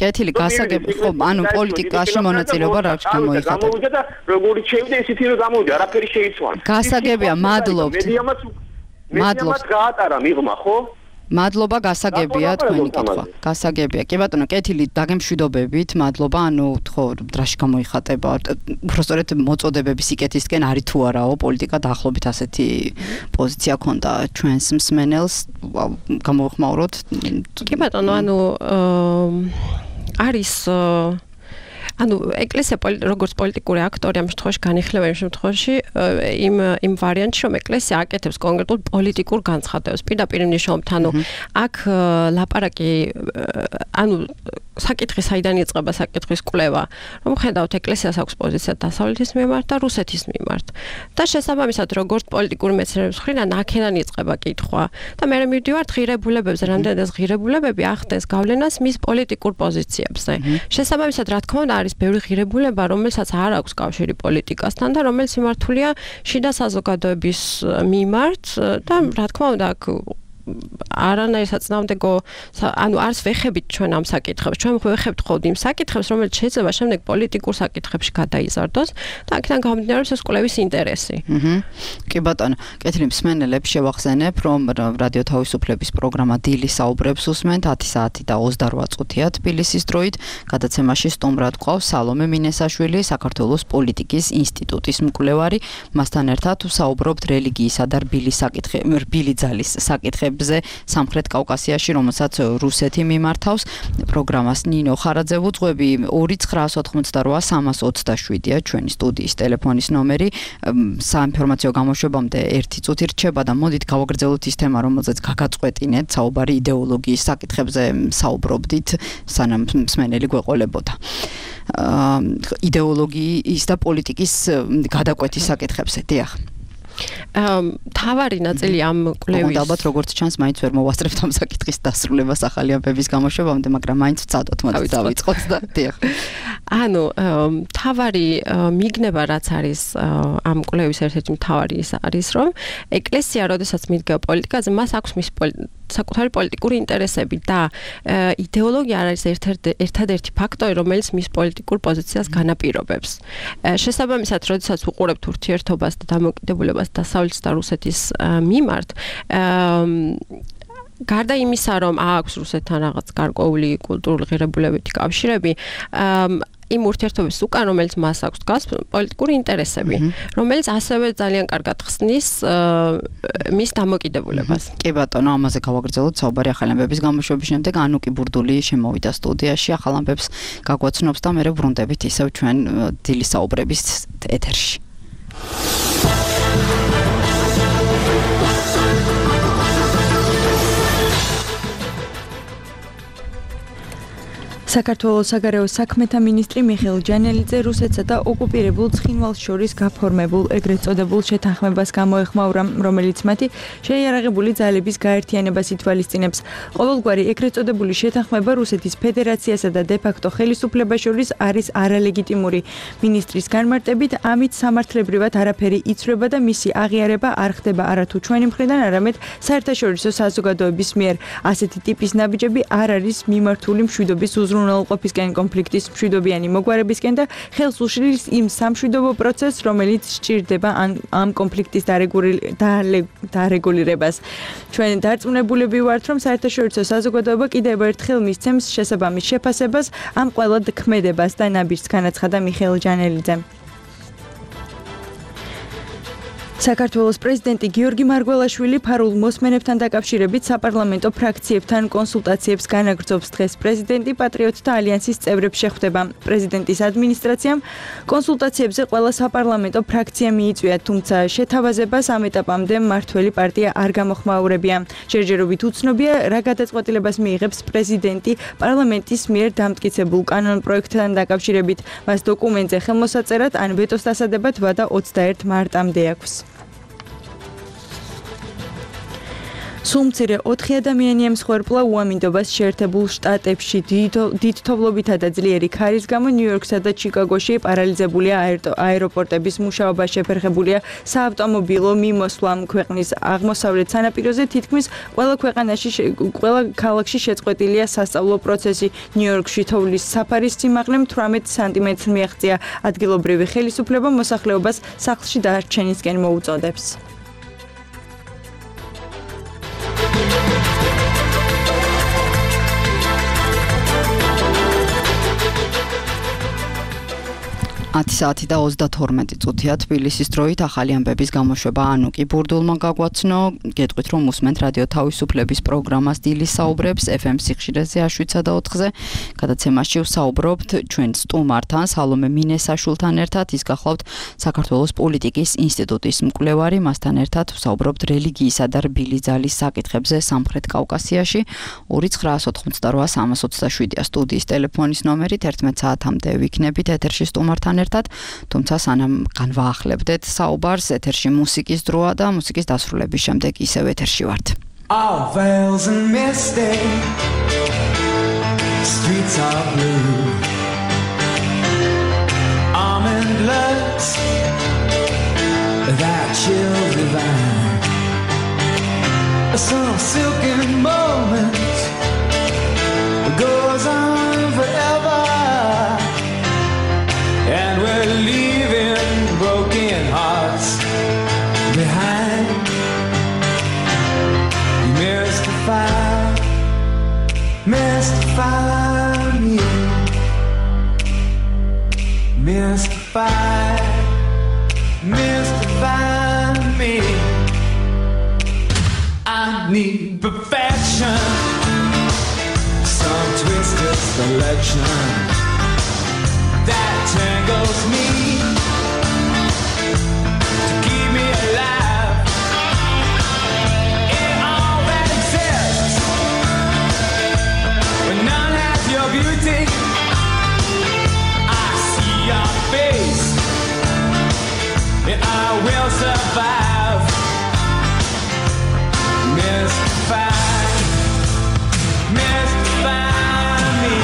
კეთილი გასაგები ხო ანუ პოლიტიკაში მონაწილეობა რა გამოიხატა. გამოვიდა და როგორი შევიდა ისეთი რომ გამოვიდა არაფერი შეიცვალა. გასაგებია მადლობთ. მადლობთ გაატარა მიღმა ხო? მადლობა გასაგებია თქვენი კითხვა. გასაგებია. კი ბატონო, კეთილი დაგემშვიდობებით. მადლობა. ანუ ხო დრაში გამოიხატება. უბრალოდ მოწოდებების სიკეთისკენ არის თუ არაო პოლიტიკა დაახლოებით ასეთი პოზიცია ქონდა ჩვენს მსმენელს. გამოვხმაუროთ. კი ბატონო, ანუ არის ანუ ეკლესია როგორც პოლიტიკური აქტორი ამ შემთხვევაში განიხილება იმ შემთხვევაში იმ ვარიანტში რომ ეკლესია აკეთებს კონკრეტულ პოლიტიკურ განცხადებას პირდაპირ მნიშვნელობით ანუ აქ ლაპარაკი ანუ საკითხი საიდან იწყება საკითხის კვლევა რომ ხედავთ ეკლესიას აქვს პოზიცია დასავლეთის მიმართ და რუსეთის მიმართ და შესაბამისად როგორც პოლიტიკური მეცნიერების მხრიდან აქედან იწყება კითხვა და მე მივდივართ ღირებულებებზე რამდენადაც ღირებულებები ახდენს გავლენას მის პოლიტიკურ პოზიციებზე შესაბამისად რა თქმა უნდა არის ბევრი ღირებულება, რომელსაც არ აქვს კავშირი პოლიტიკასთან და რომელიც მიმართულია შიდა საზოგადოების მიმართ და რა თქმა უნდა აქ არანაირ საწინააღმდეგო ანუ არც ვეხებით ჩვენ ამ საკითხებს. ჩვენ ვეხებთ ხოლმე იმ საკითხებს, რომელიც შეიძლება შემდეგ პოლიტიკურ საკითხებში გადაიზარდოს და აქედან გამომდინარეობს ეს კვლევის ინტერესი. კი ბატონო, კეთილი მსმენელებს შევახსენებ, რომ რადიო თავისუფლების პროგრამა დილის საუბრებს უსმენთ 10 საათი და 28 წუთია თბილისის დროით. გადაცემაში სტუმრად გვყავს სალომე მინესაშვილი, საქართველოს პოლიტიკის ინსტიტუტის მკვლევარი. მასთან ერთად ვსაუბრობთ რელიგიისა და რბილი ძალის საკითხებზე სამხრეთ კავკასიაში, რომელსაც რუსეთი მიმართავს. პროგრამას ნინო ხარაძე ვუძღვები 2988-327-ია ჩვენი სტუდიის ტელეფონის ნომერი. საინფორმაციო გამოშვებამდე 1 წუთი რჩება და მოდით გავაგრძელოთ ის თემა, რომელზეც გაგაწყვეტინეთ, საუბარი იდეოლოგიის საკითხებზე საუბრობდით, სანამ მსმენელი გვეყოლებოდა. იდეოლოგიის და პოლიტიკის გადაკვეთის საკითხებზე. დიახ. თავარი ნაწილი ამ კვლევის ალბათ როგორც ჩანს მაინც ვერ მოვასწრებთ ამ საკითხის დასრულებას ახალი ამბების გამოშვებამდე, მაგრამ მაინც ვწადოთ მოდი დავიწყოთ და დიახ. ანუ თავარი მიგნება რაც არის ამ კვლევის ერთ-ერთი მთავარი ის არის რომ ეკლესია როდესაც მიდგება პოლიტიკაზე მას აქვს მის საკუთარი პოლიტიკური ინტერესები და იდეოლოგია არის ერთადერთი ფაქტორი რომელიც მის პოლიტიკურ პოზიციას განაპირობებს. შესაბამისად როდესაც ვუყურებთ ურთიერთობას და დამოკიდებულებას დასავლეთის და რუსეთის მიმართ გარდა იმისა, რომ აქვს რუსეთთან რაღაც გარკვეული კულტურული ღირებულებითი კავშირები, იმ ურთიერთობის უკან, რომელიც მას აქვს დგას პოლიტიკური ინტერესები, რომელიც ასევე ძალიან კარგად ხსნის მის დამოკიდებულებას. კი ბატონო, ამაზე გავაგრძელოთ საუბარი ახალი ამბების გამოშვების შემდეგ. ანუკი ბურდული შემოვიდა სტუდიაში, ახალ ამბებს გაგვაცნობს და მერე ვრუნდებით ისევ ჩვენ დილის საუბრების ეთერში. საქართველოს საგარეო საქმეთა მინისტრი მიხეილ ჯანელიძე რუსეთსა და ოკუპირებულ ცხინვალს შორის გაფორმებულ ეგრეთ წოდებულ შეთანხმებას გამოეხმაურა, რომელიც მათი შეიარაღებული ძალების გაერთიანებას ითვალისწინებს. ყოველგვარი ეგრეთ წოდებული შეთანხმება რუსეთის ფედერაციასა და დე-ფაქტო ხელისუფლებას შორის არის არალეგიტიმური. მინისტრის განმარტებით, ამით სამართლებრივად არაფერი იცვლება და მისი აღიარება არ ხდება არათუ ჩვენი მხრიდან, არამედ საერთაშორისო საზოგადოების მიერ. ასეთი ტიპის ნაბიჯები არ არის მიმართული მშვიდობის უზრუნველყოფისკენ, კონფლიქტის მშვიდობიანი მოგვარებისკენ და ხელს უშლის იმ სამშვიდობო პროცესს, რომელიც სჭირდება ამ კონფლიქტის დარეგულირებას. ჩვენ დარწმუნებულები ვართ, რომ საერთაშორისო საზოგადოება კიდევ ერთხელ მისცემს შესაბამის შეფასებას ამ ყველა ქმედებას და ნაბიჯს, განაცხადა მიხეილ ჯანელიძემ. საქართველოს პრეზიდენტი გიორგი მარგველაშვილი ფარულ მოსმენებთან დაკავშირებით საპარლამენტო ფრაქციებთან კონსულტაციებს განაგრძობს. დღეს პრეზიდენტი პატრიოტთა ალიანსის წევრებს შეხვდება. პრეზიდენტის ადმინისტრაციამ კონსულტაციებზე ყველა საპარლამენტო ფრაქცია მიიწვია, თუმცა შეთავაზებას ამ ეტაპამდე მმართველი პარტია არ გამოხმაურებია. ჯერჯერობით უცნობია, რა გადაწყვეტილებას მიიღებს პრეზიდენტი პარლამენტის მიერ დამტკიცებულ კანონპროექტთან დაკავშირებით. მას დოკუმენტზე ხელმოსაწერად ან ვეტოს დასადებად ვადა 21 მარტამდე აქვს. სულ მცირე 4 ადამიანი ემსხვერპლა უამინდობას შეერთებულ შტატებში. დიდ თოვლობითა და ძლიერი ქარის გამო ნიუ-იორკსა და ჩიკაგოში პარალიზებულია აეროპორტების მუშაობა, შეფერხებულია საავტომობილო მიმოსვლა. ქვეყნის აღმოსავლეთ სანაპიროზე თითქმის ყველა ქალაქში შეწყვეტილია სასწავლო პროცესი. ნიუ-იორკში თოვლის საფარის სიმაღლე 18 სანტიმეტრს მიაღწია. ადგილობრივი ხელისუფლება მოსახლეობას სახლში დარჩენისკენ მოუწოდებს. საათი და 32 წუთია თბილისის დროით ახალი ამბების გამოშვება ანუკი ბურდულმა გაგვაცნო. გეტყვით, რომ უსმენთ რადიო თავისუფლების პროგრამას დილის საუბრებს FM სიხშირეზე 7-4-ზე. გადაცემაში ვსაუბრობთ ჩვენ სტუმართან, სალომე მინესაშვილთან ერთად. ის გახლავთ საქართველოს პოლიტიკის ინსტიტუტის მკვლევარი. მასთან ერთად ვსაუბრობთ რელიგიისა და რბილი ძალის საკითხებზე სამხრეთ კავკასიაში. 2988327-ია სტუდიის ტელეფონის ნომერი. 11 საათამდე ვიქნებით ეთერში სტუმართან ერთად, თუმცა სანამ განვაახლებდეთ საუბარს, ეთერში მუსიკის დროა და მუსიკის დასრულების შემდეგ ისევ ეთერში ვართ. All veils and misty streets are blue, almond looks that chill divine, some silken moment goes on forever, and we're leaving broken hearts behind. Mystify me, mystify me. I need perfection, some twisted selection that tangles me to keep me alive in all that exists. When none has your beauty, I see your face, and I will survive. Mystify, mystify me,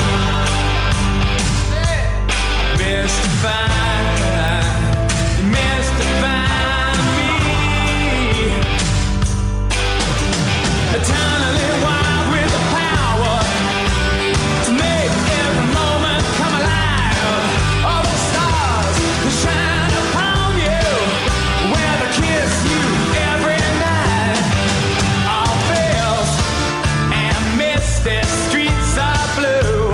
mystify, mystify me. Eternally wild with the power to make every moment come alive. All the stars that shine upon you, where they kiss you every night. All veils and misty streets are blue.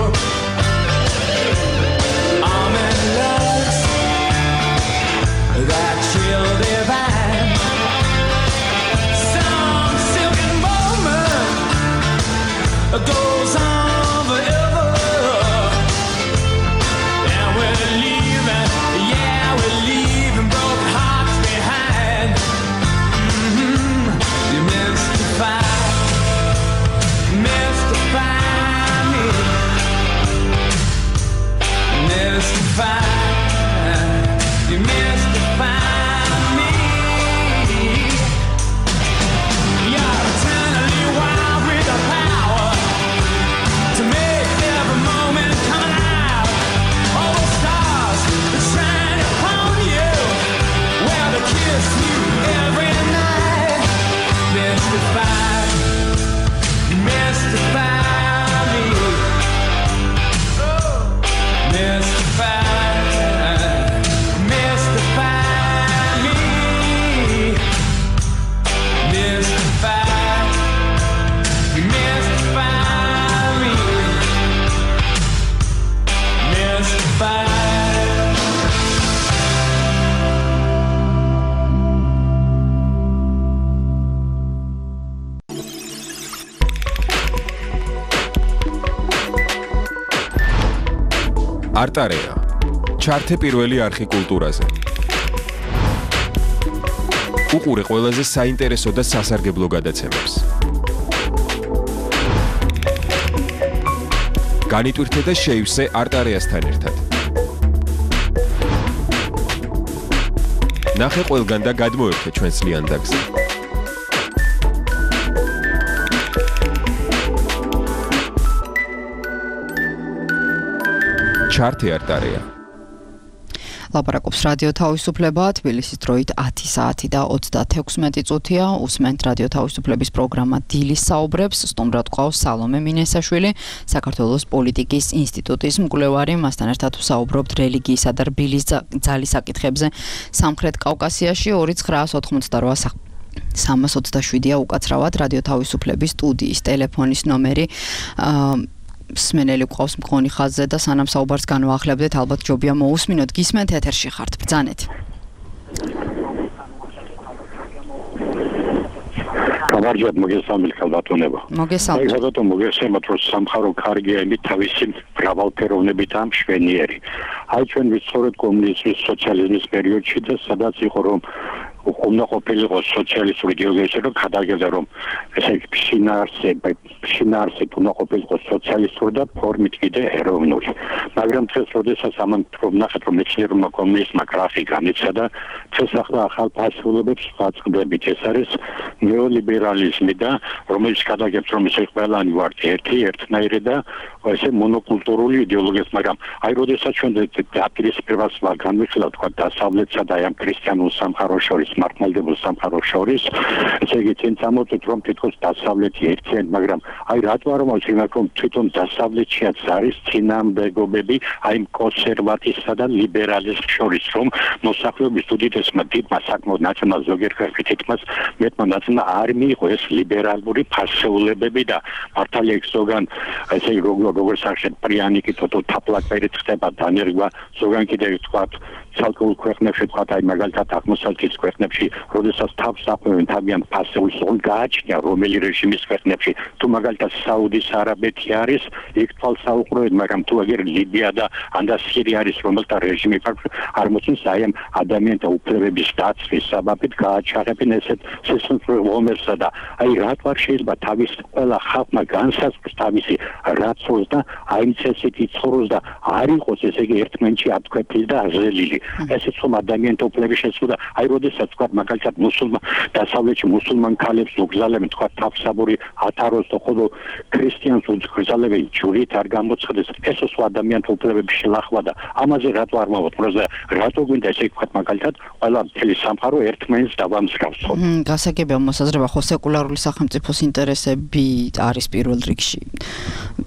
არტარეა. ჩართე პირველი არხი კულტურაზე. უყურე ყველაზე საინტერესო და სასარგებლო გადაცემებს. განიტვირთე და შეივსე არტარეასთან ერთად. ნახე ყველგან და გადმოერთე ჩვენს ლიანდაგზე. ჩართე არტარეა. ლაპარაკობს რადიო თავისუფლება, თბილისის დროით 10 საათი და 36 წუთია. უსმენთ რადიო თავისუფლების პროგრამა დილის საუბრებს. სტუმრად გვყავს სალომე მინესაშვილი, საქართველოს პოლიტიკის ინსტიტუტის მკვლევარი. მასთან ერთად ვსაუბრობთ რელიგიისა და რბილის ძალის საკითხებზე სამხრეთ კავკასიაში. 2988 327-ია უკაცრავად რადიო თავისუფლების სტუდიის ტელეფონის ნომერი. სმენელი გვყავს მქონი ხაზზე და სანამ საუბარს განვაახლებდეთ, ალბათ ჯობია მოусმინოთ. გისმენთ, ეთერში ხართ, ბრძანეთ. გამარჯვებათ, მოგესალმებით ქალბატონებო. მოგესალმებით. ხალხო მოგესალმებით, რომ სამხარო კარგია იმით თავისი მრავალფეროვნებით ამ შვენიერი. აი ჩვენ ვიცხოვრეთ კომუნიზმის სოციალიზმის პერიოდში და სადაც იყო რომ უნდა ყოფილიყო სოციალისტური იდეოლოგია, რომ გადაგედა რომ ესე შინაარსი უნდა ყოფილიყო სოციალისტური და ფორმით კიდე ეროვნული. მაგრამ დღეს როდესაც ამან ნახეთ რომ მეცნიერულმა კომუნიზმმა გრაფი განიცადა, დღეს ახალ ფასეულობებს ვაწყდებით. ეს არის ნეოლიბერალიზმი და რომელიც გადაგებს რომ ესე ყველანი ვართ ერთნაირი და ესე მონოკულტურული იდეოლოგია, მაგრამ აი როდესაც ჩვენ დაპირისპირებას განვიხილავთ თქვა დასავლეთსა და ამ ქრისტიანულ სამყაროს შორის მართლმადიდებელ სამყაროს შორის, ესე იგი წინ წამოწევთ რომ თითქოს დასავლეთი ერთიანი, მაგრამ აი რატო არ მომაჩვენოთ რომ თვითონ დასავლეთშიაც არის წინამდებობები აი კონსერვატიზმსა და ლიბერალიზმს შორის, რომ მოსახლეობის უდიდესმა დიდმა საკმაოდ ნაციონალ ზოგიერთ თითქმის მეტმა ნაციონალ არ მიიღო ეს ლიბერალური ფასეულებები და მართალია იქ ზოგან ესე იგი როგორც სახშეთ პრიანიკი თოთო თაფლაკერით ხდება დანერგვა, ზოგან კიდევ თქვათ ცალკეულ ქვეყნებში თქვათ აი მაგალითად აღმოსავლეთის ქვეყნებში, როდესაც თავს აფევენ თავიანთ ფასეულს, გააჩნია რომელი რეჟიმის ქვეყნებში, თუ მაგალითად საუდის არაბეთი არის, იქ თვალსაუყროეთ, მაგრამ თუ აგერ ლიბია და ანდა სირია არის, რომელთა რეჟიმი არ მოწონს, აი ამ ადამიანთა უფლებების დაცვის საბაბით გააჩაღებენ ესეთ სისხლძარღვომებსა და აი რატო არ შეიძლება თავის ყველა ხალხმა განსაზღვროს თავისი რაცოს და აი წესით იცხოვროს და არ იყოს ესე იგი ერთმანეთში ათქვეფილი და აზრელილი. ესეც ხომ ადამიანთა უფლების შეცვლა. აი როდესაც თქვა მაგალითად დასავლეთში მუსულმან ქალებს უგზალებენ თქვა თავსაბური ათაროს და ხოლო ქრისტიანს უგზალებენ ჯვრით არ გამოცხადდეს. ესეც ადამიანთა უფლების შელახვა და ამაზე რატო არ მოვაწყდეს და რატო გვინდა ესე თქვა მაგალითად ყველა მთელი სამყარო ერთმანეთს დავამსგავსო. გასაგებია მოსაზრება, ხო სეკულარული სახელმწიფოს ინტერესები არის პირველ რიგში.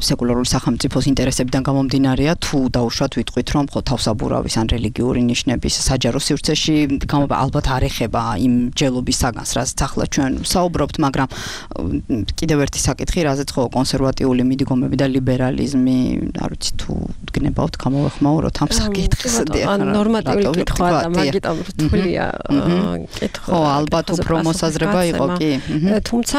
სეკულარული სახელმწიფოს ინტერესებიდან გამომდინარეა, თუ დაუშვათ ვიტყვით რომ ხო თავსაბურავის ან რელიგიური ნიშნების საჯარო სივრცეში ალბათ არ ეხება იმ ჯელობის საგანს, რაც ახლა ჩვენ საუბრობთ, მაგრამ კიდევ ერთი საკითხი, რაზეც ხო კონსერვატიული მიდგომები და ლიბერალიზმი, არ ვიცი თუ გნებავთ გამოვეხმაუროთ ამ საკითხს. ნორმატიული კითხვა და მაგიტომ რთულია კითხვა. ხო, ალბათ უფრო მოსაზრება იყო კი. თუმცა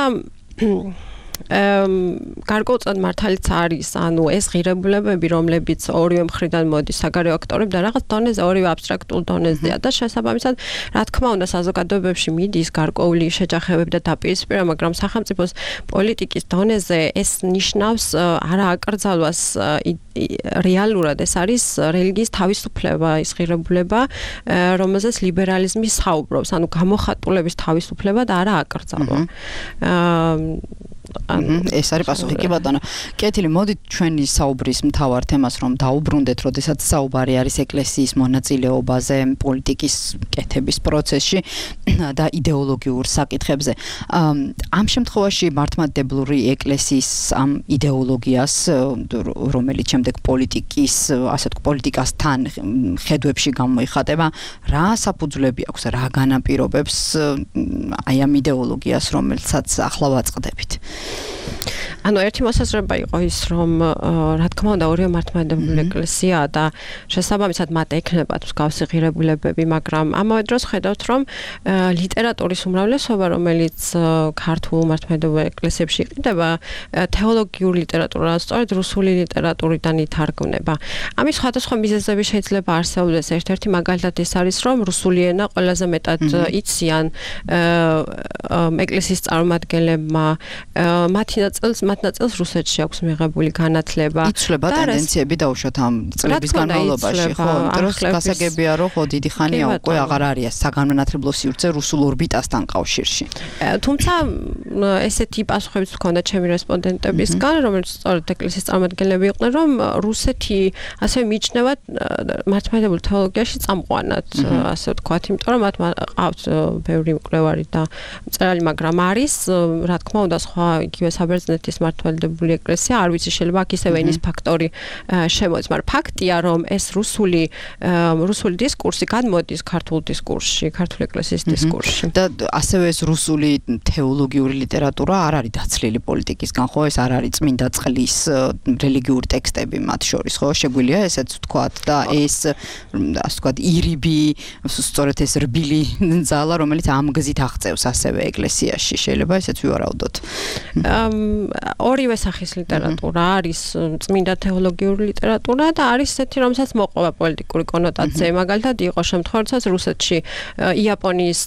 გარკვეულწილად მართალიც არის, ანუ ეს ღირებულებები, რომლებიც ორივე მხრიდან მოდის საგარეო აქტორები და რაღაც დონეზე, ორივე აბსტრაქტულ დონეზეა და შესაბამისად, რა თქმა უნდა, საზოგადოებებში მიდის გარკვეული შეჯახებები და დაპირისპირება, მაგრამ სახელმწიფოს პოლიტიკის დონეზე ეს ნიშნავს არა აკრძალვას რეალურად, ეს არის რელიგიის თავისუფლება, ის ღირებულება, რომელზეც ლიბერალიზმი საუბრობს, ანუ გამოხატულების თავისუფლება და არა აკრძალვა. ეს არის პასუხი კი ბატონო. კეთილი, მოდით ჩვენი საუბრის მთავარ თემას რომ დაუბრუნდეთ, როდესაც საუბარი არის ეკლესიის მონაწილეობაზე პოლიტიკის კეთების პროცესში და იდეოლოგიურ საკითხებზე. ამ შემთხვევაში მართლმადიდებლური ეკლესიის ამ იდეოლოგიას, რომელიც შემდეგ პოლიტიკასთან ხედვებში გამოიხატება, რა საფუძვლები აქვს, რა განაპირობებს აი ამ იდეოლოგიას, რომელსაც ახლა ვაწყდებით? ანუ ერთი მოსაზრება იყო ის, რომ რა თქმა უნდა ორივე მართლმადიდებელი ეკლესიაა და შესაბამისად მათ ექნებათ მსგავსი ღირებულებები, მაგრამ ამავე დროს ხედავთ, რომ ლიტერატურის უმრავლესობა, რომელიც ქართულ მართლმადიდებელ ეკლესიებში იყიდება, თეოლოგიური ლიტერატურაა, სწორედ რუსული ლიტერატურიდან ითარგმნება. ამის სხვადასხვა მიზეზები შეიძლება არსებობდეს. ერთ-ერთი მაგალითად ეს არის, რომ რუსული ენა ყველაზე მეტად იციან ეკლესიის წარმომადგენლებმა, მათ ნაწილს რუსეთში აქვს მიღებული განათლება. იცვლება ტენდენციები დაუშვათ ამ წლების განმავლობაში, ხო? დროს გასაგებია, რომ ხო დიდი ხანია უკვე აღარ არის საგანმანათლებლო სივრცე რუსულ ორბიტასთან კავშირში. თუმცა ესეთი პასუხებიც ჰქონდა ჩემი რესპონდენტებისგან, რომელიც სწორედ ეკლესიის წარმომადგენლები იყვნენ, რომ რუსეთი ასევე მიიჩნევა მართლმადიდებელ თეოლოგიაში წამყვანად, ასე ვთქვათ, იმიტომ რომ მათ ყავთ ბევრი მკვლევარი და მწერალი, მაგრამ არის, რა თქმა უნდა, სხვა იგივე საბერძნეთის მართლმადიდებელი ეკლესია, არ ვიცი, შეიძლება აქ ისევე ენის ფაქტორი შემოდის, მაგრამ ფაქტია, რომ ეს რუსული დისკურსი გადმოდის ქართულ დისკურსში, ქართული ეკლესიის დისკურსში. და ასევე ეს რუსული თეოლოგიური ლიტერატურა არ არის დაცლილი პოლიტიკისგან, ხო? ეს არ არის წმინდა წყლის რელიგიური ტექსტები მათ შორის, ხო? შეგვიძლია ესეც ვთქვათ და ეს ასე ვთქვათ ირიბი, სწორედ ეს რბილი ძალა, რომელიც ამ გზით აღწევს ასევე ეკლესიაში, შეიძლება ესეც ვივარაუდოთ. ორივე სახის ლიტერატურა არის წმინდა თეოლოგიური ლიტერატურა და არის ესეთი, რომელსაც მოყვება პოლიტიკური კონოტაცია. მაგალითად იყო შემთხვევა, როდესაც რუსეთში იაპონიის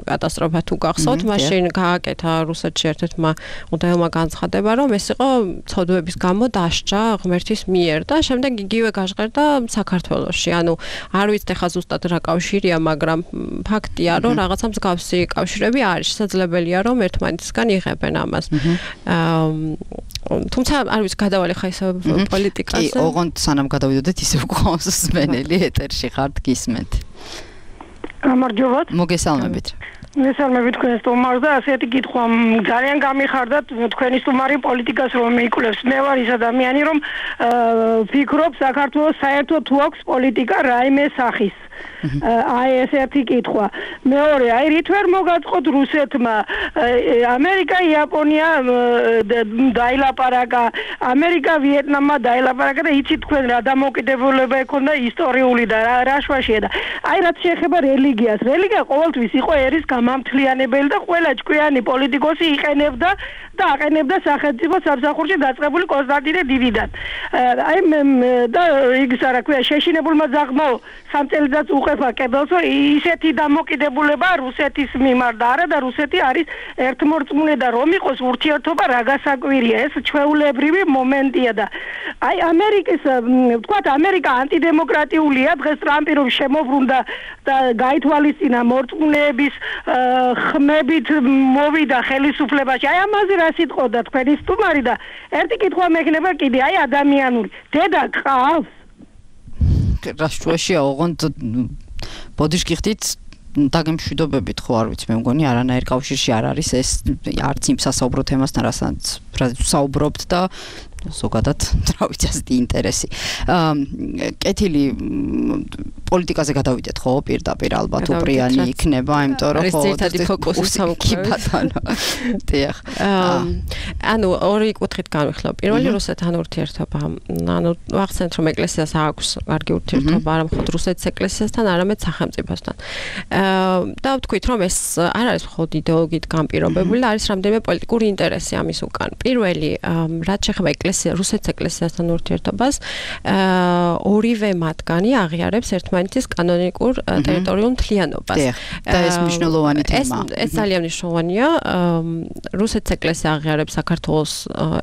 კატასტროფა თუ გახსოვთ, მაშინ გააკეთა რუსეთში ერთ-ერთმა მუდმივმა განცხადება, რომ ეს იყო ცოდვების გამო დასჯა ღმერთის მიერ და შემდეგ იგივე გაჟღერდა საქართველოში. ანუ არ ვიცით ახლა ზუსტად რა კავშირია, მაგრამ ფაქტია, რომ რაღაცა მსგავსი კავშირები არის. შესაძლებელია, რომ ერთმანეთისგან იღებენ ამას. თუმცა არ ვიცი, გადავალე ხა ისე პოლიტიკაზე. კი, ოღონდ სანამ გადავიდოდეთ, ისე გვყავს სმენელი ეთერში ხართ გისმენთ. გამარჯობათ. მოგესალმებით. მესალმებით თქვენ სტუმარს და ასეთი კითხვა ძალიან გამიხარდათ თქვენი სტუმარი პოლიტიკას რომ მიიკვლევს. მე ვარ ის ადამიანი რომ ვფიქრობ საქართველოს საერთოდ თუ აქვს პოლიტიკა რაიმე სახის. აი ეს ერთი კითხვა. მეორე, აი რით ვერ მოგაწყოთ რუსეთმა ამერიკა, იაპონია დაილაპარაკა, ამერიკა, ვიეტნამმა დაილაპარაკა და იცით თქვენ რა დამოუკიდებლობა ექონდა ისტორიული და რა შვაშია და აი რაც შეეხება რელიგიას. რელიგია ყოველთვის იყო ერის გამამთლიანებელი და ყველა ჭკვიანი პოლიტიკოსი იყენებდა და აყენებდა სახელმწიფო სამსახურში დაწყებული კონსტანტინე დიდიდან. აი და იგს რა ქვია შეშინებულმა ძაღლმა სამწელიწადს უყეფა კებელსო ისეთი დამოკიდებულება რუსეთის მიმართ არა და რუსეთი არის ერთმორწმუნე და რომ იყოს ურთიერთობა რა გასაკვირია ეს ჩვეულებრივი მომენტია და აი ამერიკის ვთქვათ ამერიკა ანტიდემოკრატიულია დღეს ტრამპი რომ შემოbrunდა და გაითვალისწინა მორწმუნეების ხმებით მოვიდა ხელისუფლებაში აი ამაზე რა სიტყოდა თქვენი სტუმარი და ერთი კითხვა მექნება კიდე აი ადამიანური დედა ყავს რაშუაშია ოღონდ ბოდიშ გიხდით დაგემშვიდობებით ხო არ ვიცი მე მგონი არანაირ კავშირში არ არის ეს არც იმ სასაუბრო თემასთან რასაც საუბრობთ და ზოგადად რა ვიცი ასეთი ინტერესი კეთილი პოლიტიკაზე გადავიდეთ ხო პირდაპირ ალბათ უპრიანი იქნება იმიტომ რომ ხო ერთადი ფოკუსი სამკუთხედო დიახ ანუ ორი კუთხით განვიხილავ პირველი რუსეთთან ურთიერთობა ანუ ვახსენეთ რომ ეკლესიას აქვს კარგი ურთიერთობა არა მხოლოდ რუსეთის ეკლესიასთან არამედ სახელმწიფოსთან და ვთქვით რომ ეს არ არის მხოლოდ იდეოლოგიით განპირობებული არის რამდენიმე პოლიტიკური ინტერესი ამის უკან პირველი რაც შეეხება რუსეთის ეკლესიასთან ურთიერთობას ორივე მათგანი აღიარებს ერთმანეთის კანონიკურ ტერიტორიულ მთლიანობას. და ეს მნიშვნელოვანი თემაა. ეს ძალიან მნიშვნელოვანია. რუსეთის ეკლესია აღიარებს საქართველოს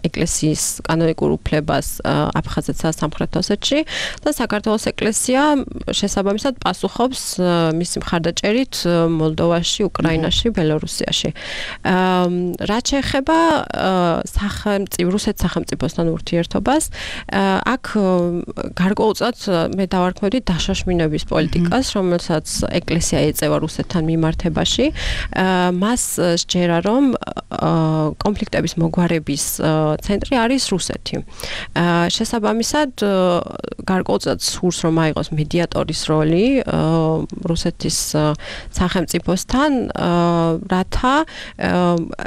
ეკლესიის კანონიკურ უფლებას აფხაზეთსა და სამხრეთ ოსეთში და საქართველოს ეკლესია შესაბამისად პასუხობს მისი მხარდაჭერით მოლდოვაში, უკრაინაში, ბელორუსიაში. რაც შეეხება რუსეთის სახელმწიფოს რუსეთთან ურთიერთობას. აქ გარკვეულწილად მე დავარქმევდი დაშაშმინების პოლიტიკას, რომელსაც ეკლესია ეწევა რუსეთთან მიმართებაში. მას სჯერა, რომ კონფლიქტების მოგვარების ცენტრი არის რუსეთი. შესაბამისად, გარკვეულწილად სურს, რომ აიღოს მედიატორის როლი რუსეთის სახელმწიფოსთან, რათა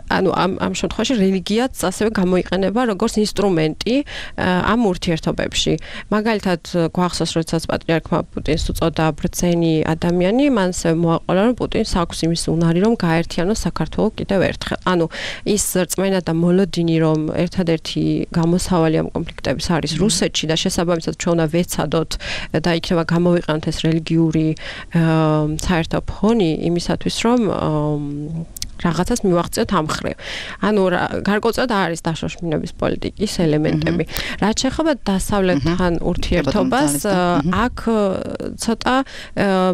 ამ შემთხვევაში რელიგიაც ასევე გამოიყენება როგორც ინსტრუმენტი ამ ურთიერთობებში. მაგალითად, გვახსოვს, როდესაც პატრიარქმა პუტინს უწოდა ბრძენი ადამიანი, მან მოაყოლა, რომ პუტინს აქვს იმის უნარი, რომ გაერთიანოს საქართველო კიდევ ერთხელ. ის რწმენა და მოლოდინი, რომ ერთადერთი გამოსავალი ამ კონფლიქტების არის რუსეთში და შესაბამისად ჩვენ უნდა ვეცადოთ და იქნება გამოვიყენოთ ეს რელიგიური საერთო ფონი იმისათვის, რომ რაღაცას მივაღწიოთ ამ ხრივ. გარკვეულწილად არის დაშოშმინების პოლიტიკის ელემენტები. რაც შეეხება დასავლეთთან ურთიერთობას, აქ ცოტა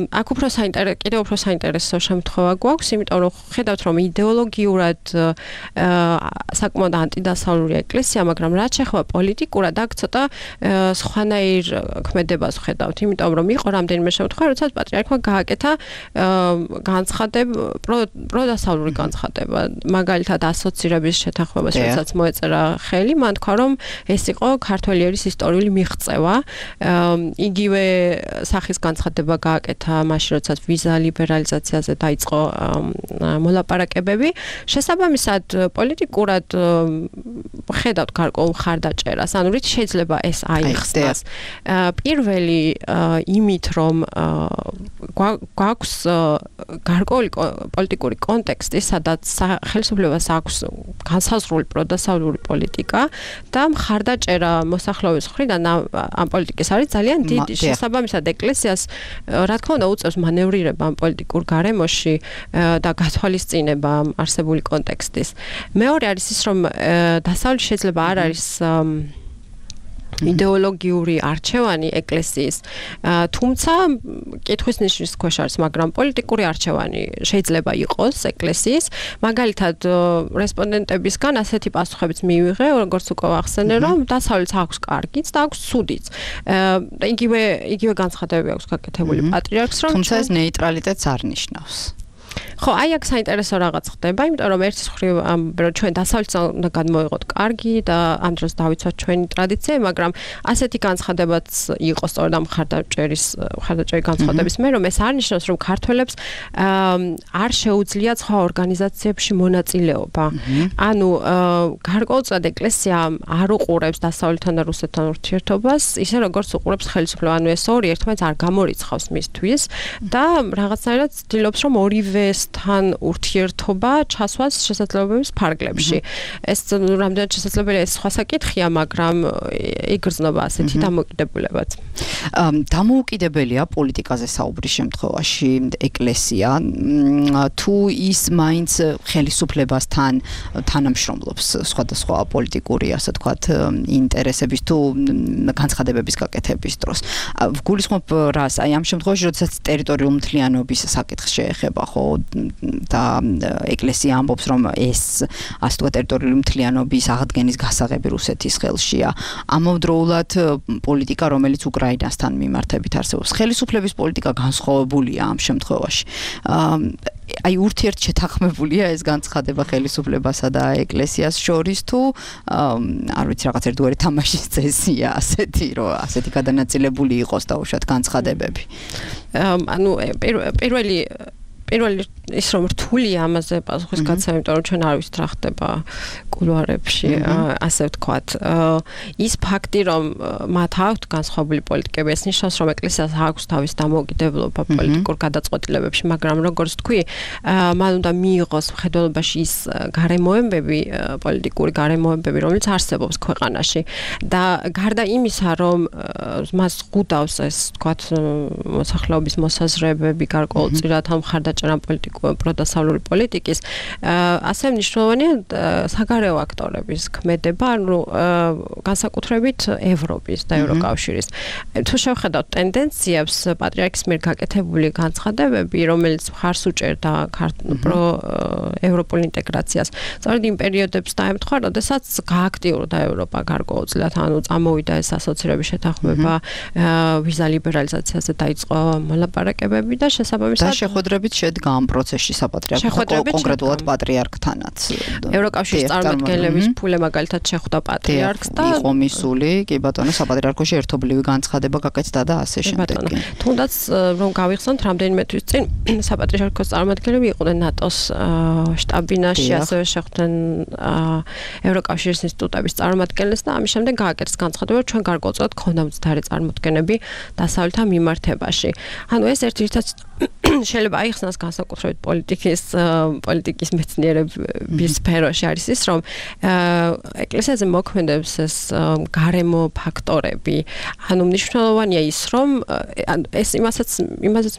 აქ კიდევ უფრო საინტერესო შემთხვევა გვაქვს, იმიტომ რომ ხედავთ, რომ იდეოლოგიურად საკმაოდ ანტიდასავლური ეკლესია, მაგრამ რაც შეეხება პოლიტიკურად, აქ ცოტა სხვანაირ ქმედებას ვხედავთ, იმიტომ რომ იყო რამდენიმე შემთხვევა, როდესაც პატრიარქმა გააკეთა განცხადება პროდასავლური განცხადება, მაგალითად ასოცირების შეთანხმებას, როდესაც მოეწერა ხელი, მან თქვა, რომ ეს იყო ქართველი ერის ისტორიული მიღწევა. იგივე სახის განცხადება გააკეთა მაშინ, როდესაც ვიზა ლიბერალიზაციაზე დაიწყო მოლაპარაკებები. შესაბამისად, პოლიტიკურად ხედავთ გარკვეულ მხარდაჭერას, რით შეიძლება ეს აიხსნას. პირველი იმით, რომ გვაქვს გარკვეული პოლიტიკური კონტექსტი, სადაც ხელისუფლებას აქვს განსაზღვრული პროდასავლური პოლიტიკა და მხარდაჭერა მოსახლეობის მხრიდან ამ პოლიტიკის არის ძალიან დიდი. შესაბამისად, ეკლესიას რა თქმა უნდა უწევს მანევრირება ამ პოლიტიკურ გარემოში და გათვალისწინება არსებული კონტექსტის. მეორე არის ის, რომ დასავლეთ შეიძლება არ არის იდეოლოგიური არჩევანი ეკლესიის, თუმცა კითხვის ნიშნის ქვეშ არის, მაგრამ პოლიტიკური არჩევანი შეიძლება იყოს ეკლესიის. მაგალითად, რესპონდენტებისგან ასეთი პასუხებიც მივიღე, როგორც უკვე ახსენე, რომ დასავლეთს აქვს კარგიც და აქვს ცუდიც. იგივე განცხადებები აქვს გაკეთებული პატრიარქს, რომ თუმცა ეს ნეიტრალიტეტს არ ნიშნავს. ხო, აქ საინტერესო რაღაც ხდება, იმიტომ რომ ერთის მხრივ ჩვენ დასავლეთს უნდა გადმოიღოთ კარგი და ამ დროს დავიცვათ ჩვენი ტრადიცია, მაგრამ ასეთი განცხადებაც იყო სწორედ ამ მხარდაჭერი განცხადების მე, რომ ეს არ ნიშნავს, რომ ქართველებს არ შეუძლიათ სხვა ორგანიზაციებში მონაწილეობა. გარკვეულწილად ეკლესია არ უყურებს დასავლეთთან და რუსეთთან ურთიერთობას, ისე როგორც უყურებს ხელისუფლება. ეს ორი ერთმანეთს არ გამორიცხავს მისთვის და რაღაცნაირად ცდილობს, რომ ორივესთან ურთიერთობა ჩასვას შესაძლებლობების ფარგლებში. ეს რამდენად შესაძლებელია, ეს სხვა საკითხია, მაგრამ იგრძნობა ასეთი დამოუკიდებულებაც. დამოუკიდებელია პოლიტიკაზე საუბრის შემთხვევაში ეკლესია, თუ ის მაინც ხელისუფლებასთან თანამშრომლობს სხვადასხვა პოლიტიკური, ასე ვთქვათ, ინტერესების თუ განცხადებების გაკეთების დროს. ვგულისხმობ რას, აი ამ შემთხვევაში, როდესაც ტერიტორიული მთლიანობის საკითხს შეეხება, ხო, და ეკლესია ამბობს, რომ ეს, ასე ვთქვათ, ტერიტორიული მთლიანობის აღდგენის გასაღები რუსეთის ხელშია. ამავდროულად პოლიტიკა, რომელიც უკრაინასთან მიმართებით არსებობს. ხელისუფლების პოლიტიკა განსხვავებულია ამ შემთხვევაში. აი ურთიერთშეთანხმებულია ეს განცხადება ხელისუფლებასა და ეკლესიას შორის, თუ არ ვიცი, რაღაც ერთგვარი თამაშის წესია ასეთი, რომ ასეთი გადანაწილებული იყოს დაუშვათ განცხადებები. პირველი ის რომ რთულია ამაზე პასუხის გაცემა, იმიტომ რომ ჩვენ არ ვიცით რა ხდება კულუარებში, ასე ვთქვათ. ის ფაქტი, რომ მათ აქვთ განსხვავებული პოლიტიკები, ეს ნიშნავს, რომ ეკლესიას აქვს თავის დამოუკიდებლობა პოლიტიკურ გადაწყვეტილებებში, მაგრამ როგორც თქვი, მან უნდა მიიღოს მხედველობაში ის გარემოებები, პოლიტიკური გარემოებები, რომელიც არსებობს ქვეყანაში. და გარდა იმისა, რომ მას ყუდავს ეს, ვთქვათ, მოსახლეობის მოსაზრებები, გარკვეულწილად ამ მხარდაჭერა პოლიტიკურ პროდასავლური პოლიტიკის, ასევე მნიშვნელოვანია საგარეო აქტორების ქმედება, ანუ განსაკუთრებით ევროპის და ევროკავშირის. თუ შევხედავთ ტენდენციებს, პატრიარქის მიერ გაკეთებული განცხადებები, რომელიც მხარს უჭერდა ევროპულ ინტეგრაციას, სწორედ იმ პერიოდებს დაემთხვა, როდესაც გააქტიურდა ევროპა გარკვეულწილად, ანუ წამოვიდა ეს ასოცირების შეთანხმება, ვიზა ლიბერალიზაციაზე დაიწყო მოლაპარაკებები და შესაბამისად და შეხვედრებით შედგა ამ პროცესში საპატრიარქო კონკრეტულად პატრიარქთან. ევროკავშირის წარმომადგენლების ფულე მაგალითად შეხვდა პატრიარქს და იყო მისული, კი ბატონო, საპატრიარქოში ერთობლივი განცხადება გაკეთდა და ასე შემდეგ. თუნდაც რომ გავიხსენოთ, რამდენიმე თვის წინ საპატრიარქოს წარმომადგენლები იყვნენ ნატოს შტაბ-ბინაში, ასევე შეხვდნენ ევროკავშირის ინსტიტუტების წარმომადგენლებს და ამის შემდეგ გააკეთეს განცხადება, ჩვენ გარკვეულწილად გქონდა მცდარი წარმოდგენები დასავლეთ მიმართებაში. ანუ ეს ერთ-ერთად შეიძლება აიხსნას განსაკუთრებით პოლიტიკის მეცნიერების სფეროში არის ის, რომ ეკლესიაზე მოქმედებს ეს გარემო ფაქტორები. ანუ მნიშვნელოვანია ის, რომ ეს იმასაც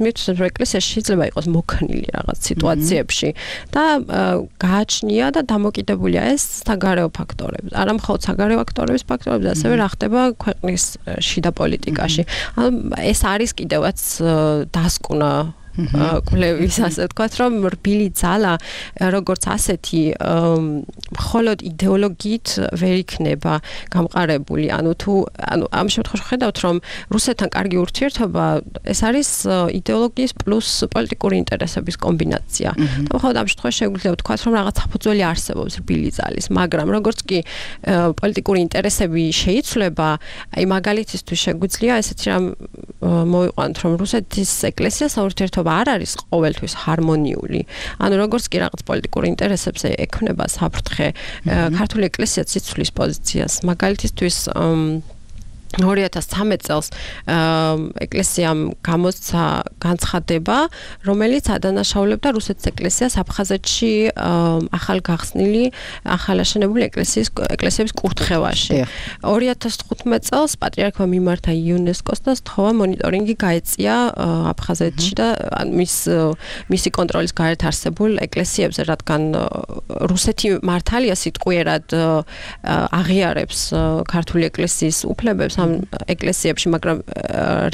მივთვლის, რომ ეკლესია შეიძლება იყოს მოქნილი რაღაც სიტუაციებში და გააჩნია და დამოკიდებულია ეს საგარეო ფაქტორებზე. არა მხოლოდ საგარეო ფაქტორებზე, ასევე რა ხდება ქვეყნის შიდა პოლიტიკაში. ანუ ეს არის კიდევაც დასკვნა კვლევის, ასე ვთქვათ, რომ რბილი ძალა როგორც ასეთი მხოლოდ იდეოლოგიით ვერ იქნება გამყარებული. ანუ ამ შემთხვევაში ხედავთ, რომ რუსეთთან კარგი ურთიერთობა ეს არის იდეოლოგიის პლუს პოლიტიკური ინტერესების კომბინაცია. და მხოლოდ ამ შემთხვევაში შეგვიძლია ვთქვათ, რომ რაღაც საფუძველი არსებობს რბილი ძალის, მაგრამ როგორც კი პოლიტიკური ინტერესები შეიცვლება, აი მაგალითისთვის შეგვიძლია ესეთი რამ მოვიყვანოთ, რომ რუსეთის ეკლესია საურთიერთო არ არის ყოველთვის ჰარმონიული. ანუ როგორც კი რაღაც პოლიტიკური ინტერესებს ექნება საფრთხე, ქართული ეკლესია ციცვლის პოზიციას. მაგალითისთვის 2013 წელს ეკლესიამ გამოსცა განცხადება, რომელიც ადანაშაულებდა რუსეთის ეკლესიას აფხაზეთში ახალაშენებული ეკლესიების კურთხევაში. 2015 წელს პატრიარქმა მიმართა იუნესკოს და სთხოვა მონიტორინგი გაეწია აფხაზეთში და მისი კონტროლის გარეთ არსებულ ეკლესიებზე, რადგან რუსეთი მართალია სიტყვიერად აღიარებს ქართული ეკლესიის უფლებებს ამ ეკლესიებში, მაგრამ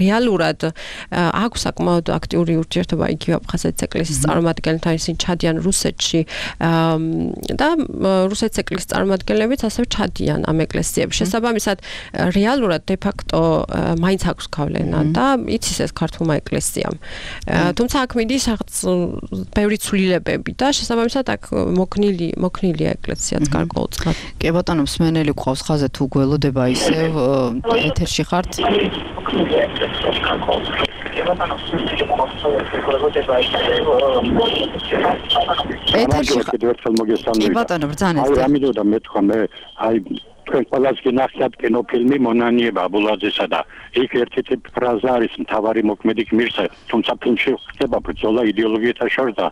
რეალურად აქვს საკმაოდ აქტიური ურთიერთობა იგივე აფხაზეთის ეკლესიის წარმომადგენლებთან, ისინი ჩადიან რუსეთში და რუსეთის ეკლესიის წარმომადგენლებიც ასევე ჩადიან ამ ეკლესიებში. შესაბამისად, რეალურად de facto მაინც აქვს გავლენა და იცის ეს ქართულმა ეკლესიამ. თუმცა აქ მიდის რაღაც ბევრი ცვლილებები და შესაბამისად აქ მოქნილია ეკლესიაც გარკვეულწილად. კი ბატონო, მსმენელი გვყავს ხაზზე, თუ გველოდება ისევ ეთერში ხართ? ეთერში ბატონო, ბრძანეთ. აი ამიტომ მეთქვა მე, აი თქვენ ყველას გინახეთ კინოფილმი მონანიება აბულაძესა და იქ ერთ-ერთი ფრაზა არის მთავარი მოქმედი გმირსა, თუმცა ფილმში ხდება ბრძოლა იდეოლოგიათა შორის და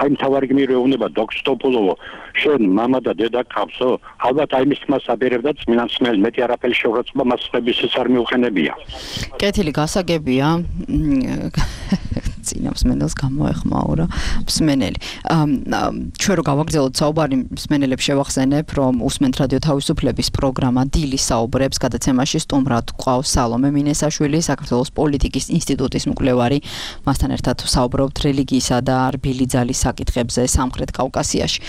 აი მთავარი გმირი ეუბნება დოქსტოპულოვო, შენ მამა და დედა გყავსო? ალბათ აი მის თმას აბერებდა წმინდანსმელი, მეტი არაფერი შეურაცხყოფა მას ხების არ მიუხენებია. კეთილი გასაგებია. წინამსმენელს გამოეხმაურა მსმენელი. ჩვენ რო გავაგრძელოთ საუბარი, მსმენელებს შევახსენებ, რომ უსმენთ რადიო თავისუფლების პროგრამა დილის საუბრებს გადაცემაში სტუმრად გვყავს სალომე მინესაშვილი, საქართველოს პოლიტიკის ინსტიტუტის მკვლევარი. მასთან ერთად საუბრობთ რელიგიისა და რბილი ძალის საკითხებზე სამხრეთ კავკასიაში.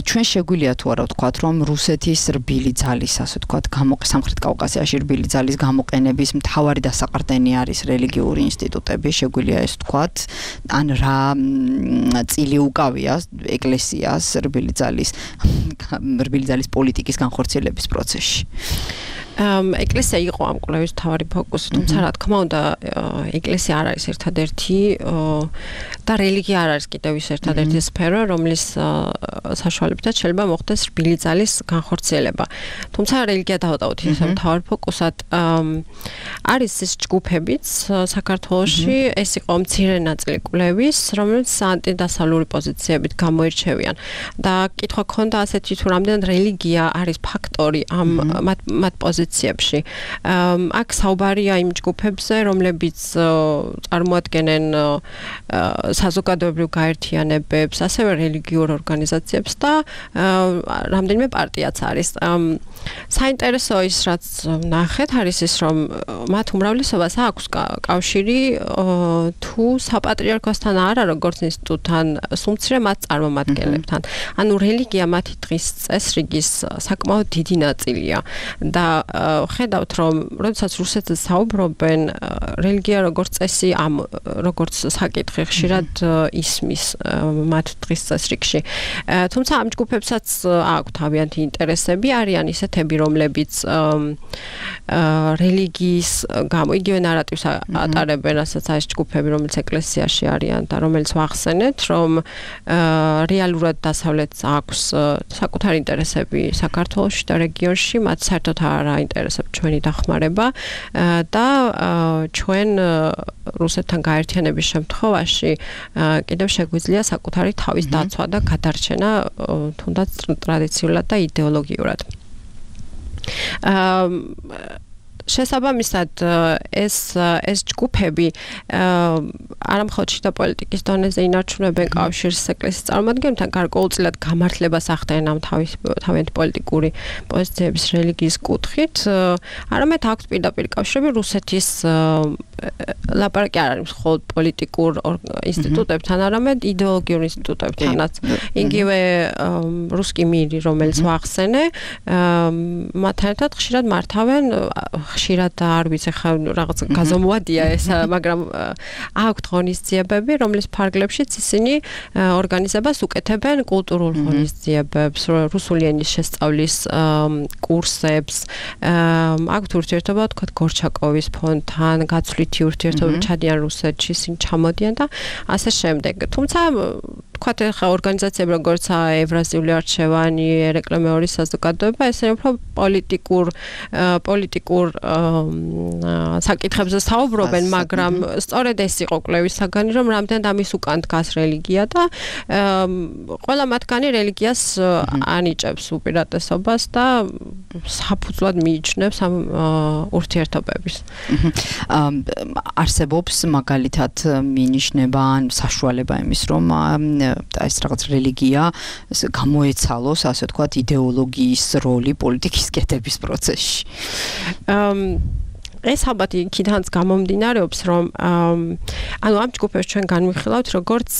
ჩვენ შეგვიძლია თუ არა ვთქვათ, რომ რუსეთის რბილი ძალის, ასე ვთქვათ, სამხრეთ კავკასიაში რბილი ძალის გამოყენების მთავარი დასაყრდენი არის რელიგიური ინსტიტუტები, შეგვიძლია ეს ვთქვათ, ან რა წილი უკავია ეკლესიას რბილი ძალის პოლიტიკის განხორციელების პროცესში. ეკლესია იყო ამ კვლევის მთავარი ფოკუსი, თუმცა რა თქმა უნდა, ეკლესია არ არის ერთადერთი და რელიგია არ არის კიდევ ის ერთადერთი სფერო, რომლის საშუალებითაც შეიძლება მოხდეს რბილი ძალის განხორციელება. თუმცა რელიგია დავატოვოთ ისე მთავარ ფოკუსად. არის ის ჯგუფებიც საქართველოში, ეს იყო მცირე ნაწილი კვლევის, რომელიც ანტიდასავლური პოზიციებით გამოირჩევიან. და კითხვა ქონდა ასეთი, თუ რამდენად რელიგია არის ფაქტორი ამ მათ პოზიციებში პოზიციებში. აქ საუბარია იმ ჯგუფებზე, რომლებიც წარმოადგენენ საზოგადოებრივ გაერთიანებებს, ასევე რელიგიურ ორგანიზაციებს და რამდენიმე პარტიაც არის. საინტერესო ის რაც ნახეთ არის ის რომ მათ უმრავლესობას აქვს კავშირი თუ საპატრიარქოსთან არა როგორც ინსტიტუტთან სუმცირე მათ წარმომადგენლებთან. ანუ რელიგია მათი დღის წესრიგის საკმაოდ დიდი ნაწილია და ხედავთ რომ როდესაც რუსეთზე საუბრობენ რელიგია როგორც წესი როგორც საკითხი ხშირად ისმის მათ დღის წესრიგში. თუმცა ამ ჯგუფებსაც აქვთ თავიანთი ინტერესები არიან ისეთები რომლებიც რელიგიის გამო იგივე ნარატივს ატარებენ რასაც არის ჯგუფები რომელიც ეკლესიაში არიან და რომელიც ვახსენეთ რომ რეალურად დასავლეთს აქვს საკუთარი ინტერესები საქართველოში და რეგიონში მათ საერთოდ არ აინტერესებს ჩვენი დახმარება და ჩვენ რუსეთთან გაერთიანების შემთხვევაში კიდევ შეგვიძლია საკუთარი თავის დაცვა და გადარჩენა თუნდაც ტრადიციულად და იდეოლოგიურად. შესაბამისად ეს ჯგუფები არა მხოლოდ შიდა პოლიტიკის დონეზე ინარჩუნებენ კავშირს ეკლესიის წარმომადგენლებთან, გარკვეულწილად გამართლებას ახდენენ ამ თავიანთი პოლიტიკური პოზიციების რელიგიის კუთხით, არამედ აქვთ პირდაპირ კავშირები რუსეთის ლაპარაკი არ არის მხოლოდ პოლიტიკურ ინსტიტუტებთან, არამედ იდეოლოგიურ ინსტიტუტებთანაც. იგივე რუსკი მირი, რომელიც ვახსენე, მათთან ერთად ხშირად მართავენ ხშირად არ ვიცი ხა რაღაც გაზომვადია ეს, მაგრამ აქვთ ღონისძიებები, რომლის ფარგლებშიც ისინი ორგანიზებას უკეთებენ კულტურულ ღონისძიებებს, რუსული ენის შესწავლის კურსებს, აქვთ ურთიერთობა თქვა გორჩაკოვის ფონდთან, გაცვლითი ურთიერთობები ჩადიან რუსეთში, ისინი ჩამოდიან და ასე შემდეგ. თუმცა თქვათ ახლა ორგანიზაციები როგორც ევრაზიული არჩევანი, ერეკლე მეორის საზოგადოება, ესენი უფრო პოლიტიკურ საკითხებზე საუბრობენ, მაგრამ სწორედ ეს იყო კვლევის საგანი, რომ რამდენად ამის უკან დგას რელიგია და ყველა მათგანი რელიგიას ანიჭებს უპირატესობას და საფუძვლად მიიჩნევს ამ ურთიერთობების. არსებობს მაგალითად მინიშნება ან საშუალება იმის, რომ ეს რაღაც რელიგია გამოეცალოს, ასე ვთქვათ, იდეოლოგიის როლი პოლიტიკის კეთების პროცესში. ეს ალბათ იქითაც გამომდინარეობს, რომ ანუ ამ ჯგუფებს ჩვენ განვიხილავთ როგორც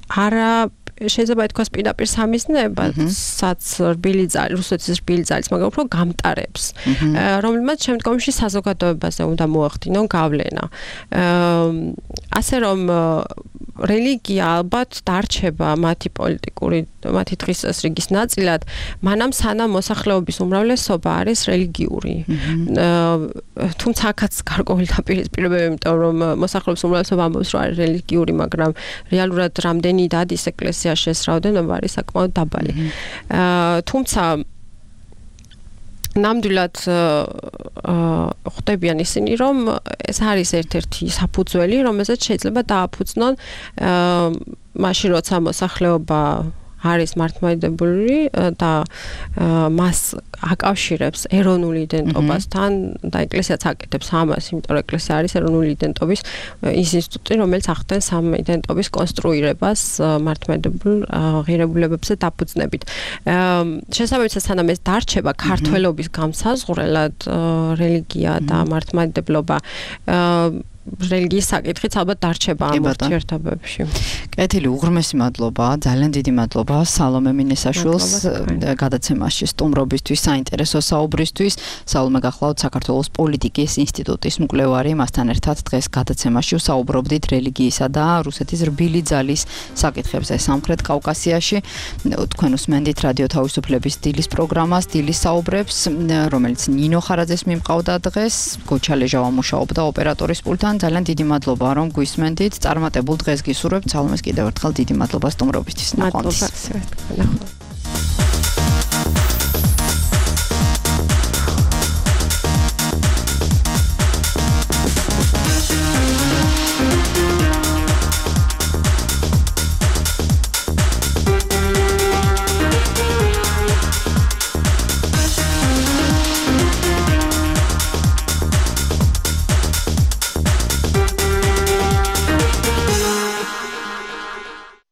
არა შეიძლება ითქვას პირდაპირ სამიზნეებსაც რუსეთის რბილი ძალის, მაგრამ უფრო გამტარებს, რომელმაც შემდგომში საზოგადოებაზე უნდა მოახდინონ გავლენა. ასე რომ რელიგია ალბათ დარჩება მათი დღის წესრიგის ნაწილად, მანამ სანამ მოსახლეობის უმრავლესობა არის რელიგიური. თუმცა აქაც გარკვეული დაპირისპირებები, იმიტომ რომ მოსახლეობის უმრავლესობა ამბობს, რომ არის რელიგიური, მაგრამ რეალურად რამდენი დადის ეკლესიაში ეს რაოდენობა არის საკმაოდ დაბალი. თუმცა ნამდვილად ხვდებიან ისინი, რომ ეს არის ერთ-ერთი საფუძველი, რომელზეც შეიძლება დააფუძნონ მაშინ, როცა მოსახლეობა არის მართლმადიდებლური და მას აკავშირებს ეროვნული იდენტობასთან და ეკლესიაც აკეთებს ამას, იმიტომ რომ ეკლესია არის ეროვნული იდენტობის ის ინსტიტუტი, რომელიც ახდენს ამ იდენტობის კონსტრუირებას მართლმადიდებელ ღირებულებებზე დაფუძნებით. შესაბამისად, სანამ ეს დარჩება ქართველობის გამსაზღვრელად რელიგია და მართლმადიდებლობა რელიგიის საკითხიც ალბათ დარჩება ამ ურთიერთობებში. კეთილი, უღრმესი მადლობა, ძალიან დიდი მადლობა სალომე მინესაშვილს გადაცემაში სტუმრობისთვის, საინტერესო საუბრისთვის. სალომე, გახლავთ საქართველოს პოლიტიკის ინსტიტუტის მკვლევარი, მასთან ერთად დღეს გადაცემაში ვსაუბრობდით რელიგიისა და რუსეთის რბილი ძალის საკითხებზე სამხრეთ კავკასიაში. თქვენ უსმენდით რადიო თავისუფლების დილის პროგრამას, დილის საუბრებს, რომელიც ნინო ხარაძეს მიმყავდა დღეს, გოჩა ლეჟავა მუშაობდა ოპერატორის პულტთან. ძალიან დიდი მადლობა რომ გვისმენდით. წარმატებულ დღეს გისურვებთ. სალომეს კიდევ ერთხელ დიდი მადლობა სტუმრობისთვის. მადლობა.